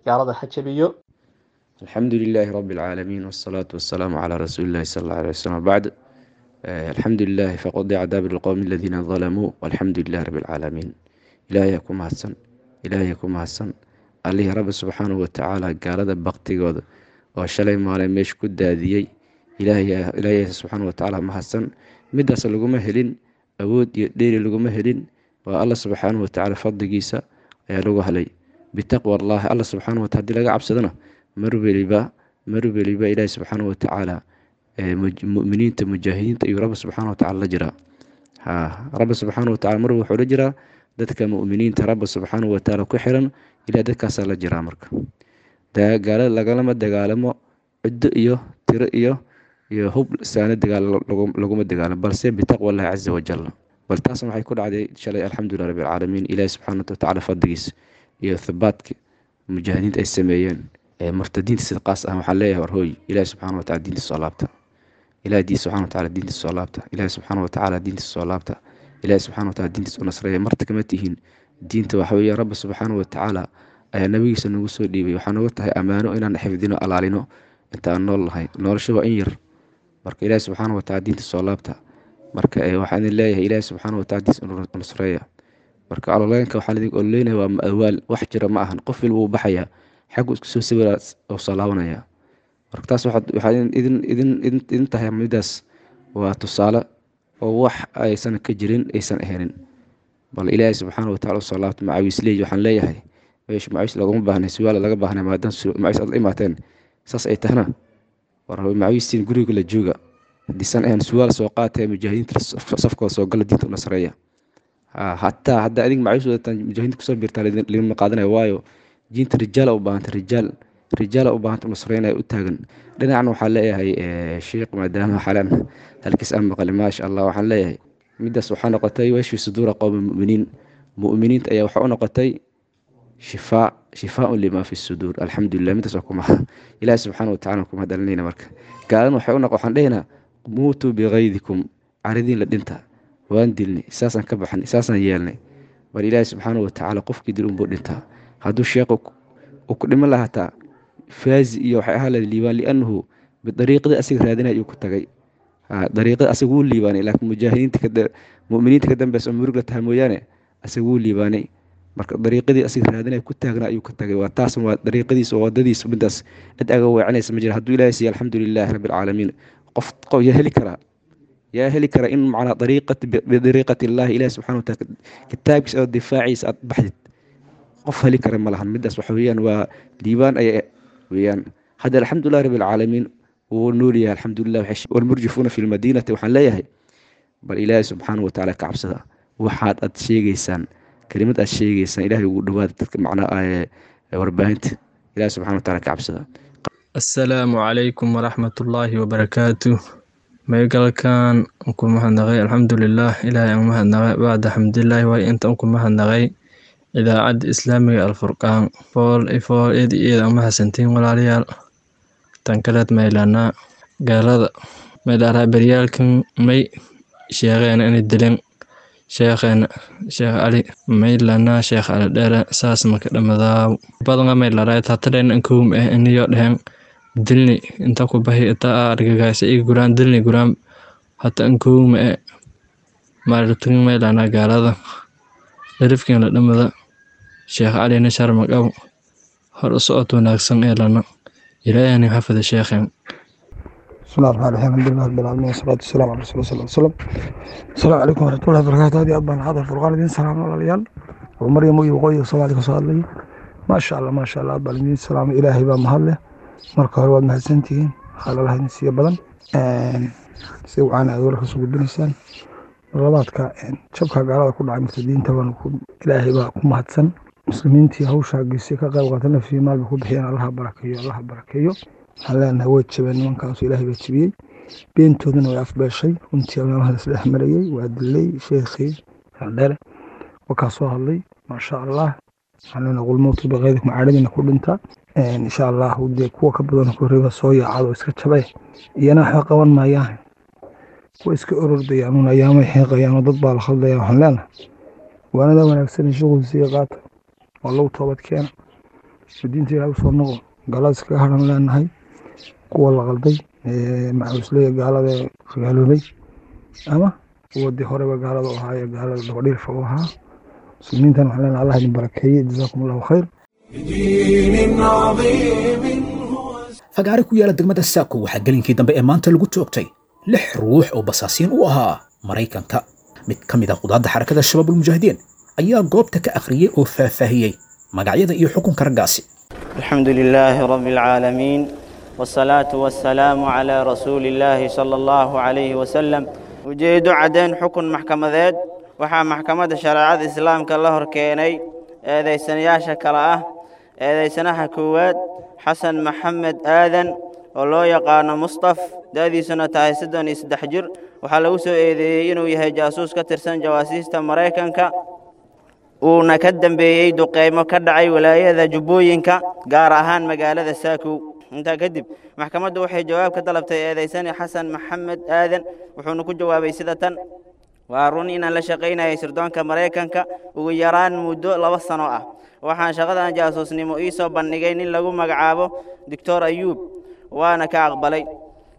gaalada ha jabiyo. الحمد لله رب العالمين، والصلاة والسلام على رسول الله صلى الله عليه وسلم، بعد. الحمد لله فقضي دابر القوم الذين ظلموا والحمد لله رب العالمين. Ilaahay ku mahadsan, Ilaahay ku mahadsan, allihii Rabbi subxaanahu watacaala gaalada baktigooda oo shalay maalin meesha ku daadiyey. Ilaahay, Ilaahay subxaanahu watacaala mahadsan. Midaas laguma helin awood iyo dheeri, laguma helin. Waa Alla subxaanahu watacaala fadligiisa ayaa lagu helay, bitaqwa Allahi. Alla subxaanahu wataala hadii laga cabsadona, mar weliba mar weliba Ilaahi subxaanahu watacaala muminiinta mujaahidiinta iyo Rabbi subxaanahu watacaala la jiraa. Ha, Rabbi subxaanahu watacaala mar wuxuu la jiraa dadka muminiinta Rabbi subxaanahu watacaala ku xiran. Ilaah dadkaasaa la jiraa. Marka Gaalada lagalama dagaalamo ciddo iyo tiro iyo iyo hub saana dagaal laguma dagaalamo, balse bitaqwa Allahi caza wajal. Bal taasna waxay ku dhacday shalay, alxamdulilah rabbi alcaalamiin, Ilaahi subxaana watacaala fadligiis iyo thabaadka mujaahidiinta ay sameeyeen. Murtadiinta sida qaas ah waxaan leeyahay, war hooy, Ilaahi subxaana wataala diintiisa soo laabta, Ilaahi diin subxaana wataala diintiisa soo laabta, Ilaahi subxaana watacaala diintiisa soo laabta, Ilaahi subxaana wataala diintiisa u nasreeya. Marta kama tihiin diinta, waxa weeye Rabbi subxaana watacaala ayaa nabigiisa nagu soo dhiibay, waxaa nooga tahay ammaano inaan xifdino, alaalino inta aan nool nahay. Nolosha waa in yar. Marka Ilaahi subxaana wataala diinta soo laabta. Marka waxaan idin leeyahay, Ilaahi subxaana wataala diintiisa u nasreeya. Marka ololeenka waxaan idin ololeynaya waa awaal, wax jira ma ahan. Qof walba wuu baxayaa, xaggu isku soo sawira oo soo laabanaya. Marka taas waxaa idin idin idin idin tahay midaas waa tusaale oo wax aysan ka jirin aysan ahaynin. Bal Ilaahay subxaana watacaala usoo laabta. Macawiisley waxaan leeyahay, meesha macawiis laguma baahnay, suwaala laga baahnay, maadaama macawiis aad la imaateen saas ay tahna. War macawiistiin guriga la jooga, haddiisan ahayn suwaal soo qaatee mujaahidiinta safkooda soo gala, diinta u nasreeya. Hataa haddaa idink macawiis wadataan mujaahidiinta kusoo biirtaan lagama qaadanayo, waayo diinta rijaala u baahanta, rijaal rijaala u baahanta nusreynaya u taagan. Dhinacna waxaan leeyahay sheekh, maadaama xalan halkiis aan maqlay, maasha Allah, waxaan leeyahay midaas waxaa noqotay washfi suduura qowmi muminiin, mu'miniinta ayaa waxaa u noqotay shifaa, shifaaun limaa fi suduur. Alxamdulilah, midaas waa kuma Ilaahi subxaana watacala kuma dhalinayna. Marka gaalana waxay u noq waxaan dhehaynaa muutuu bikaydikum, caridiin la dhinta, waan dilnay, saasaan ka baxnay, saasaan yeelnay. Bal Ilaahi subxaana watacaala qofkii dil unbuu dhintaa. Hadduu sheekhu uu ku dhiman lahaa hataa faazi iyo waxay ahaa lahayd liibaan, liannahu bidariiqadii asiga raadinaya ayuu ku tagay, dariiqada asaga wuu liibaanay. Laakiin mujaahidiinta mu'miniinta ka dambeysa oo murug la tahay mooyaane, asaga wuu liibaanay. Marka dariiqadii asiga raadinaya ku taagnaa ayuu ka tagay, waa taas, waa dariiqadiisa, waa wadadiisa. Midaas cid aga weecanaysa ma jira. Hadduu Ilaahay siiya, alxamdulilaahi rabbi alcaalamiin. Qof qof yaa heli karaa, yaa heli kara in macnaa dariiqat bidariiqati Illaahi, Ilaahi subxana wataala kitaabkiisa oo difaaciisa aad baxdid, qof heli kara ma lahan. Midaas waxa weeyaan waa liibaan ayay weeyaan. Hadda alxamdulilah rabbi alcaalamiin, wuu nool yahay, alxamdulilah. Walmurjifuuna fi lmadiinati waxaan leeyahay, bal Ilaahay subxaana watacaala ka cabsada. Waxaad aad sheegaysaan, kelimad aad sheegaysaan, Ilaahay ugu dhawaada dadka macnaa warbaahinta, Ilaahay subxana wataala ka cabsada. Assalaamu calaykum waraxmatullaahi wabarakaatu. Maygalkan ku mahadnaqay, alxamdulilah, Ilaahay aan mahadnaqay. Bacda xamdilaahi, waay inta ku mahadnaqay Idaacadda Islaamiga Alfurqaan, fool fool eed eed aan mahadsantiin walaalayaal. Tan kaleed maylanaa gaalada maylaaraa beryaalkan may sheegeen inay dileen sheekheena Sheekh Cali, maylanaa Sheekh Cali Dheere, saas maka dhamadaaw badanga maylaraa tatadhen ankuum eh iniyo dhehen dilni inta ku bahi inta argagaisa iga guraan dilni guraan hata ankuum eh maartin maylanaa gaalada darifkan la dhamada Sheekh Calina sharmaqaw hor u socod wanaagsan ee lana Ilaahayna xafida sheekhan. بسم الله الرحمن الرحيم، الحمد لله رب العالمين، والصلاة والسلام على رسول الله صلى الله عليه وسلم. السلام عليكم ورحمة الله وبركاته. هذه أبان هذا الفرقان دين سلام والعيال ومريم وقوي وصوالي وصالي، ما شاء الله ما شاء الله، أبان دين سلام إلهي بaa mahadleh. Marka hore waad mahadsantihiin, xaaladaha idin siiya badan si wacan aad warka soo gudbinaysaan. Labaadka jabka gaalada ku dhacay murtadiinta baan Ilaahay baa ku mahadsan. Muslimiintii hawshaa geysay ka qayb qaata nafsiyo maalba ku bixiyeen, Allaha barakeeyo, Allaha barakeeyo. Waxaan leenahay way jabeen nimankaasu, Ilaahay baa jabiyey, beentooduna way afbeeshay. Runtii meelaha isdhex marayey waa dilay sheekhii Dheere, wakaa soo hadlay, maasha Allah. Waxaan leenahay qul mawtu biqaydikum, caadhadiina ku dhinta insha Allah. Dee kuwa ka badan ku horreeba soo yaacad oo iska jabay, iyana waxba qaban maayaan, kuwa iska orordayaan un ayaamay xiiqayaan oo dad baa la khaldaya. Waxaan leenahay waanada wanaagsan shughul sii qaata oo lagu toobad keena oo diinta Ilaahay usoo noqo, gaalada iskaga haran leenahay. Kuwa la qalday macawisleya gaalada gaaloobay ama kuwa dee horeba gaalada u ahaa ee gaalada dabadhiilfa u ahaa, muslimiintan waxaan leenahay Allah idin barakeeye, jazaakum Allahu khayr. بدين عظيم Fagaare ku yaala degmada Saako waxaa gelinkii dambe ee maanta lagu toogtay lix ruux oo basaasiin u ahaa Maraykanka. Mid ka mid ah qudaadda Xarakada Shabaabulmujaahidiin ayaa goobta ka akhriyey oo faahfaahiyey magacyada iyo xukunka raggaasi. الحمد لله رب العالمين، والصلاة والسلام على رسول الله صلى الله عليه وسلم. Ujeedo cadeen xukun maxkamadeed. Waxaa maxkamadda shareecada islaamka la hor keenay eedaysanayaasha kale ah: Eedaysanaha koowaad Xasan Maxamed Aadan oo loo yaqaano Mustaf, da'diisuna tahay soddon iyo saddex jir, waxaa lagu soo eedeeyey inuu yahay jaasuus ka tirsan jawaasiista Maraykanka, uuna ka dambeeyey duqeymo ka dhacay wilaayada Jubbooyinka, gaar ahaan magaalada Saakow. Intaa kadib maxkamaddu waxay jawaab ka dalabtay eedaysane Xasan Maxamed Aadan, wuxuuna ku jawaabay sida tan: waa run inaan la shaqaynayay sirdoonka Maraykanka ugu yaraan muddo laba sano ah. Waxaan shaqadan jaasuusnimo ii soo bandhigay nin lagu magacaabo Doctor Ayuub, waana ka aqbalay.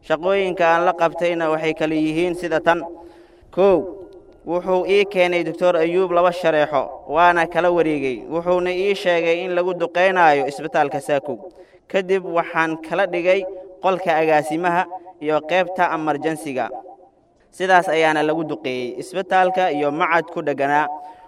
Shaqooyinka aan la qabtayna waxay kala yihiin sida tan: kow, wuxuu ii keenay Doctor Ayuub laba shareexo, waana kala wareegay, wuxuuna ii sheegay in lagu duqeynayo isbitaalka Saakow. Kadib waxaan kala dhigay qolka agaasimaha iyo qaybta emergensiga, sidaas ayaana lagu duqeeyey isbitaalka iyo macad ku dhegganaa,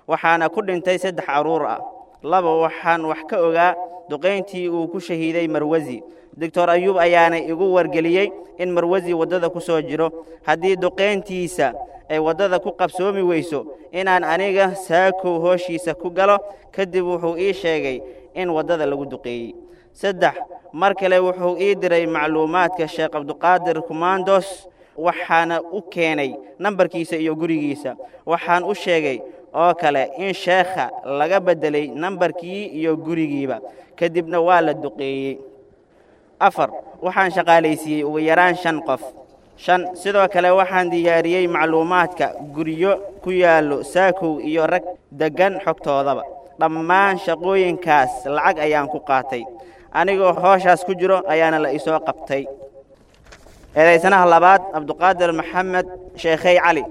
waxaana ku dhintay saddex carruur ah. Laba, waxaan wax ka ogaa duqayntii uu ku shahiiday Marwasi. Doctor Ayuub ayaana igu wargeliyey in Marwasi waddada ku soo jiro, haddii duqayntiisa ay waddada ku qabsoomi weyso inaan aniga Saakow hooshiisa ku galo. Kadib wuxuu ii sheegay in waddada lagu duqeeyey. Saddex, mar kale wuxuu ii diray macluumaadka Sheekh Cabduqaadir Kumandos, waxaana u keenay nambarkiisa iyo gurigiisa. Waxaan u sheegay oo kale in sheekha laga beddelay nambarkii iyo gurigiiba, kadibna waa la duqeeyey. Afar, waxaan shaqaalaysiiyey ugu yaraan shan qof. Shan, sidoo kale waxaan diyaariyey macluumaadka guryo ku yaallo Saakow iyo rag deggan xogtoodaba. Dhammaan shaqooyinkaas lacag ayaan ku qaatay, anigoo hooshaas ku jiro ayaana la isoo qabtay. Eedaysanaha labaad Cabduqaadir Maxamed Sheekhey Cali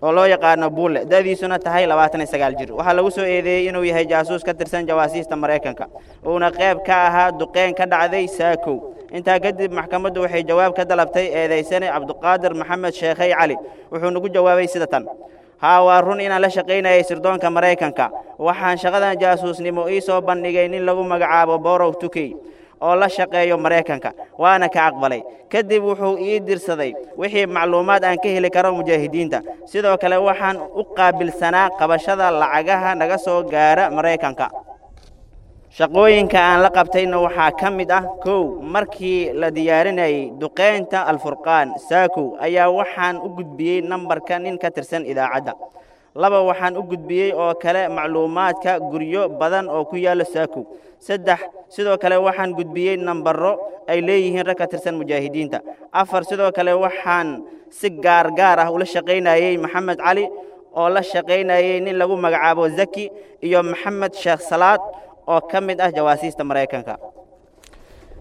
oo loo yaqaano Buule, da'diisuna tahay labaatan iyo sagaal jir, waxaa lagu soo eedeeyey inuu yahay jaasuus ka tirsan jawaasiista Maraykanka, uuna qayb ka ahaa duqeyn ka dhacday Saakow. Intaa kadib maxkamaddu waxay jawaab ka dalabtay eedaysane Cabduqaadir Maxamed Sheekhey Cali, wuxuuna ku jawaabay sida tan: haa, waa run inaan la shaqaynayay sirdoonka Maraykanka. Waxaan shaqadan jaasuusnimo ii soo bandhigay nin lagu magacaabo Borow Tukey oo la shaqeeyo Maraykanka, waana ka aqbalay. Kadib wuxuu ii dirsaday wixii macluumaad aan ka heli karo mujaahidiinta. Sidoo kale waxaan u qaabilsanaa qabashada lacagaha naga soo gaara Maraykanka. Shaqooyinka aan la qabtayna waxaa ka mid ah: kow, markii la diyaarinayay duqeynta Alfurqaan Saakow ayaa waxaan u gudbiyey nambarka nin ka tirsan idaacadda. Laba, waxaan u gudbiyey oo kale macluumaadka guryo badan oo ku yaalla Saakow. Saddex, sidoo kale waxaan gudbiyey nambaro ay leeyihiin rag ka tirsan mujaahidiinta. Afar, sidoo kale waxaan si gaar gaar ah ula shaqaynayey Maxamed Cali oo la shaqaynayey nin lagu magacaabo Zaki iyo Maxamed Sheekh Salaad oo ka mid ah jawaasiista Maraykanka.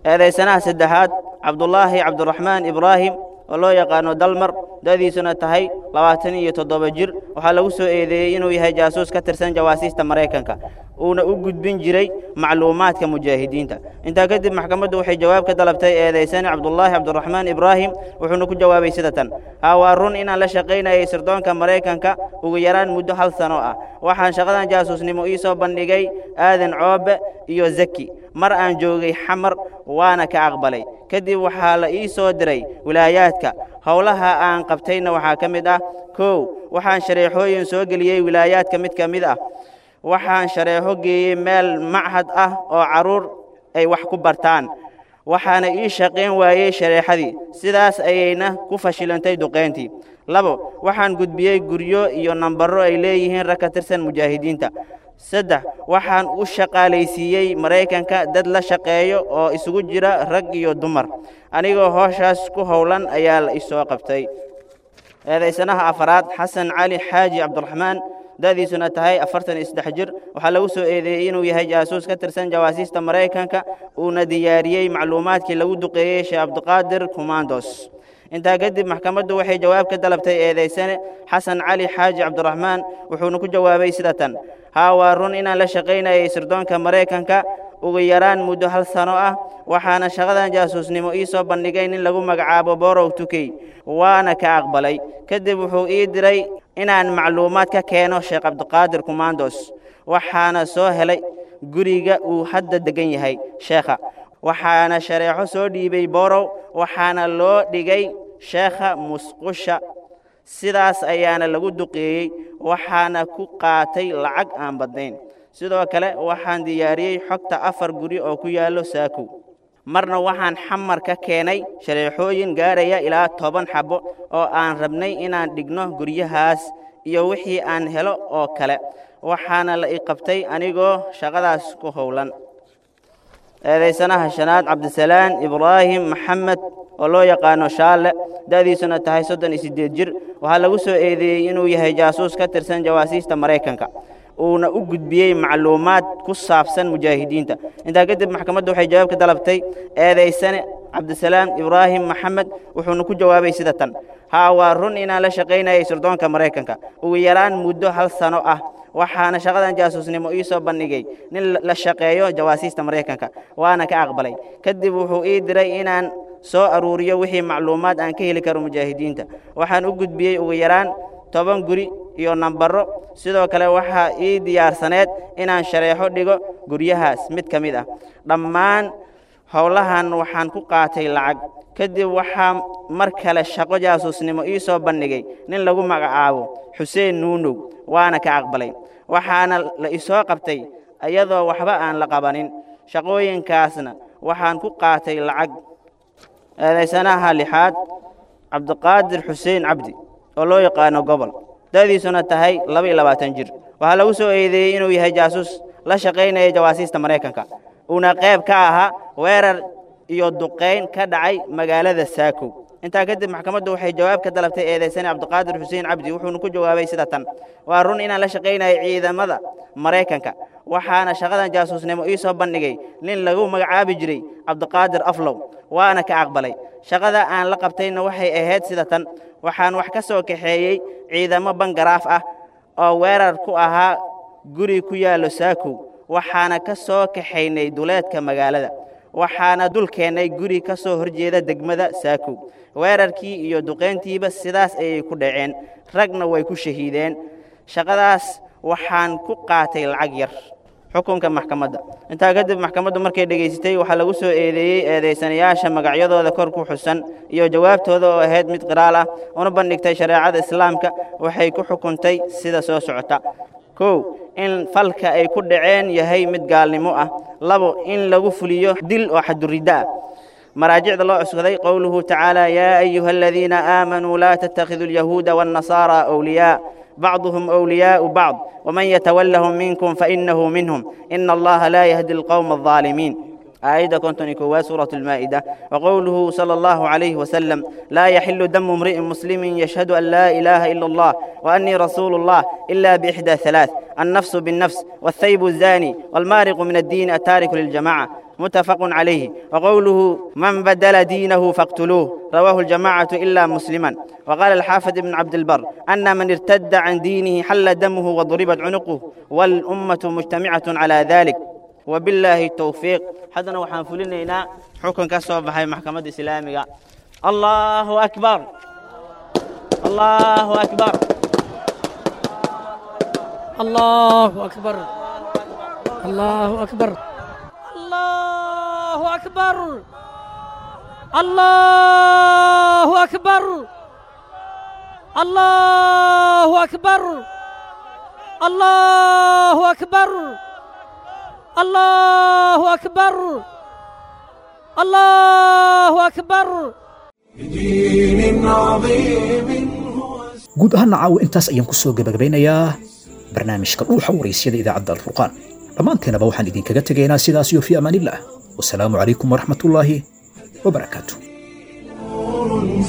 Eedaysanaha saddexaad Cabdulaahi Cabdiraxmaan Ibraahim oo loo yaqaano Dalmar, da'diisuna tahay labaatan iyo toddoba jir, waxaa lagu soo eedeeyey inuu yahay jaasuus ka tirsan jawaasiista Maraykanka, uuna u gudbin jiray macluumaadka mujaahidiinta. Intaa kadib maxkamaddu waxay jawaab ka dalabtay eedaysane Cabdulaahi Cabdiraxmaan Ibraahim, wuxuuna ku jawaabay sida tan: haa, waa run inaan la shaqaynayay sirdoonka Maraykanka ugu yaraan muddo hal sano ah. Waxaan shaqadan jaasuusnimo ii soo bandhigay Aadan Coobe iyo Zaki mar aan joogay Xamar, waana ka aqbalay. Kadib waxaa la ii soo diray wilaayaadka. Howlaha aan qabtayna waxaa ka mid ah: kow, waxaan shareexooyin soo geliyey wilaayaadka mid ka mid ah. Waxaan shareexo geeyey meel machad ah oo carruur ay wax ku bartaan, waxaana ii shaqayn waayey shareexadii, sidaas ayayna ku fashilantay duqeyntii. Labo, waxaan gudbiyey guryo iyo nambaro ay leeyihiin rag ka tirsan mujaahidiinta. Saddex, waxaan u shaqaalaysiiyey Maraykanka dad la shaqeeyo oo isugu jira rag iyo dumar. Anigoo hooshaas ku howlan ayaa la isoo qabtay. Eedaysanaha afaraad Xasan Cali Xaaji Cabdiraxmaan, da'diisuna tahay afartan iyo saddex jir, waxaa lagu soo eedeeyey inuu yahay jaasuus ka tirsan jawaasiista Maraykanka, uuna diyaariyey macluumaadkii lagu duqeeyey Sheekh Cabdiqaadir Kumandos. Intaa kadib maxkamaddu waxay jawaab ka dalabtay eedaysane Xasan Cali Xaaji Cabdiraxmaan, wuxuuna ku jawaabay sida tan: haa, waa run inaan la shaqaynayay sirdoonka Maraykanka ugu yaraan muddo hal sano ah. Waxaana shaqadan jaasuusnimo ii soo bandhigay nin lagu magacaabo Borow Tukey, waana ka aqbalay. Kadib wuxuu ii diray inaan macluumaad ka keeno Sheekh Cabdiqaadir Kumandos, waxaana soo helay guriga uu hadda degan yahay sheekha. Waxaana shareexo soo dhiibay Borow, waxaana loo dhigay sheekha musqusha, sidaas ayaana lagu duqeeyey, waxaana ku qaatay lacag aan badnayn. Sidoo kale waxaan diyaariyey xogta afar guri oo ku yaallo Saakow. Marna waxaan Xamar ka keenay shareexooyin gaaraya ilaa toban xabo oo aan rabnay inaan dhigno guryahaas iyo wixii aan helo oo kale, waxaana la i qabtay anigoo shaqadaas ku howlan. Eedaysanaha shanaad, Cabdisalaan Ibraahim Maxamed oo loo yaqaano Shaalle, da'diisuna tahay soddon iyo siddeed jir, waxaa lagu soo eedeeyey inuu yahay jaasuus ka tirsan jawaasiista Maraykanka, uuna u gudbiyey macluumaad ku saabsan mujaahidiinta. Intaa kadib maxkamaddu waxay jawaab ka dalabtay eedaysane Cabdisalaam Ibraahim Maxamed, wuxuuna ku jawaabay sida tan: Haa, waa run inaan la shaqaynayay sirdoonka Maraykanka ugu yaraan muddo hal sano ah, waxaana shaqadan jaasuusnimo ii soo bandhigay nin la shaqeeyo jawaasiista Maraykanka, waana ka aqbalay. Kadib wuxuu ii diray inaan soo aruuriyo wixii macluumaad aan ka heli karo mujaahidiinta. Waxaan u gudbiyey ugu yaraan toban guri iyo nambaro. Sidoo kale waxaa ii diyaarsaneed inaan shareexo dhigo guryahaas mid ka mid ah. Dhammaan howlahan waxaan ku qaatay lacag. Kadib waxaa mar kale shaqo jaasuusnimo ii soo bandhigay nin lagu magacaabo Xuseen Nuunow, waana ka aqbalay, waxaana la isoo qabtay iyadoo waxba aan la qabanin. Shaqooyinkaasna waxaan ku qaatay lacag. Eedaysanaha lixaad, Cabdiqaadir Xuseen Cabdi oo loo yaqaano Gobol, da'diisuna tahay laba iyo labaatan jir, waxaa lagu soo eedeeyey inuu yahay jaasuus la shaqaynaya jawaasiista Maraykanka, uuna qayb ka ahaa weerar iyo duqayn ka dhacay magaalada Saakow. Intaa kadib maxkamaddu waxay jawaab ka dalabtay eedaysane Cabdiqaadir Xuseen Cabdi, wuxuuna ku jawaabay sida tan: Waa run inaan la shaqaynayay ciidamada Maraykanka, waxaana shaqadan jaasuusnimo ii soo bandhigay nin lagu magacaabi jiray Cabdiqaadir Aflow, waana ka aqbalay. Shaqada aan la qabtayna waxay ahayd sida tan: Waxaan wax ka soo kaxeeyey ciidamo bangaraaf ah oo weerar ku ahaa guri ku yaallo Saakow, waxaana ka soo kaxaynay duleedka magaalada, waxaana dul keennay guri ka soo horjeeda degmada Saakow. Weerarkii iyo duqayntiiba sidaas ayay ku dhaceen, ragna way ku shahiideen. Shaqadaas waxaan ku qaatay lacag yar. Xukunka maxkamadda. Intaa kadib maxkamaddu markay dhegaysatay waxaa lagu soo eedeeyey eedaysanayaasha magacyadooda kor ku xusan iyo jawaabtooda oo ahayd mid qiraal ah, una bandhigtay shareecada Islaamka, waxay ku xukuntay sida soo socota: Kow, in falka ay ku dhaceen yahay mid gaalnimo ah. Labo, in lagu fuliyo dil oo xaduridda ah. Maraajicda loo cuskaday: qowluhu tacaala, yaa ayuha aladiina aamanuu laa tattakhiduu alyahuuda waannasaara awliyaa bacduhum awliyaau bacd waman yatawallahum minkum fainahu minhum ina Allaha laa yahdi alqowma aldaalimiin, aayadda konton iyo koowaad suurat Almaa'ida. Waqowluhu sala Allahu calayhi wasalam, laa yaxilu damu imri'in muslimin yashhadu an laa ilaaha ila Allah wa annii rasuulu Allah ila biixdaa halaath: annafsu binnafs, walthaybu الzaani, walmaariqu min addiini attaariku liljamaca, متفق عليه. وقوله من بدل دينه فاقتلوه، رواه الجماعة إلا مسلما. وقال الحافظ ابن عبد البر أن من ارتد عن دينه حل دمه وضربت عنقه، والأمة مجتمعة على ذلك. وبالله التوفيق. حدنا وحان فلنينا حكم كسب بحي محكمة إسلامية. الله أكبر، الله أكبر، الله أكبر، الله أكبر، الله أكبر، الله أكبر، الله أكبر، الله أكبر، الله أكبر، الله أكبر. بدين عظيم. Guud ahaana caawa intaas ayaan ku soo gabagabeynayaa barnaamijka Dhuuxa Waraysyada idaacadda Alfurqaan. Dhammaanteenaba waxaan idinkaga tegaynaa sidaas iyo fi amaanillah. Wasalaamu calaykum waraxmatullaahi wabarakaatu.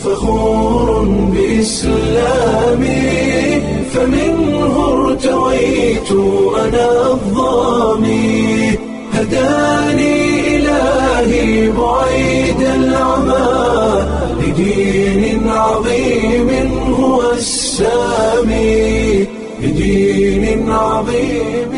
فخور بإسلامي، فمنه ارتويت أنا الظامي، هداني إلهي بعيد العمى لدين عظيم هو السامي، لدين عظيم.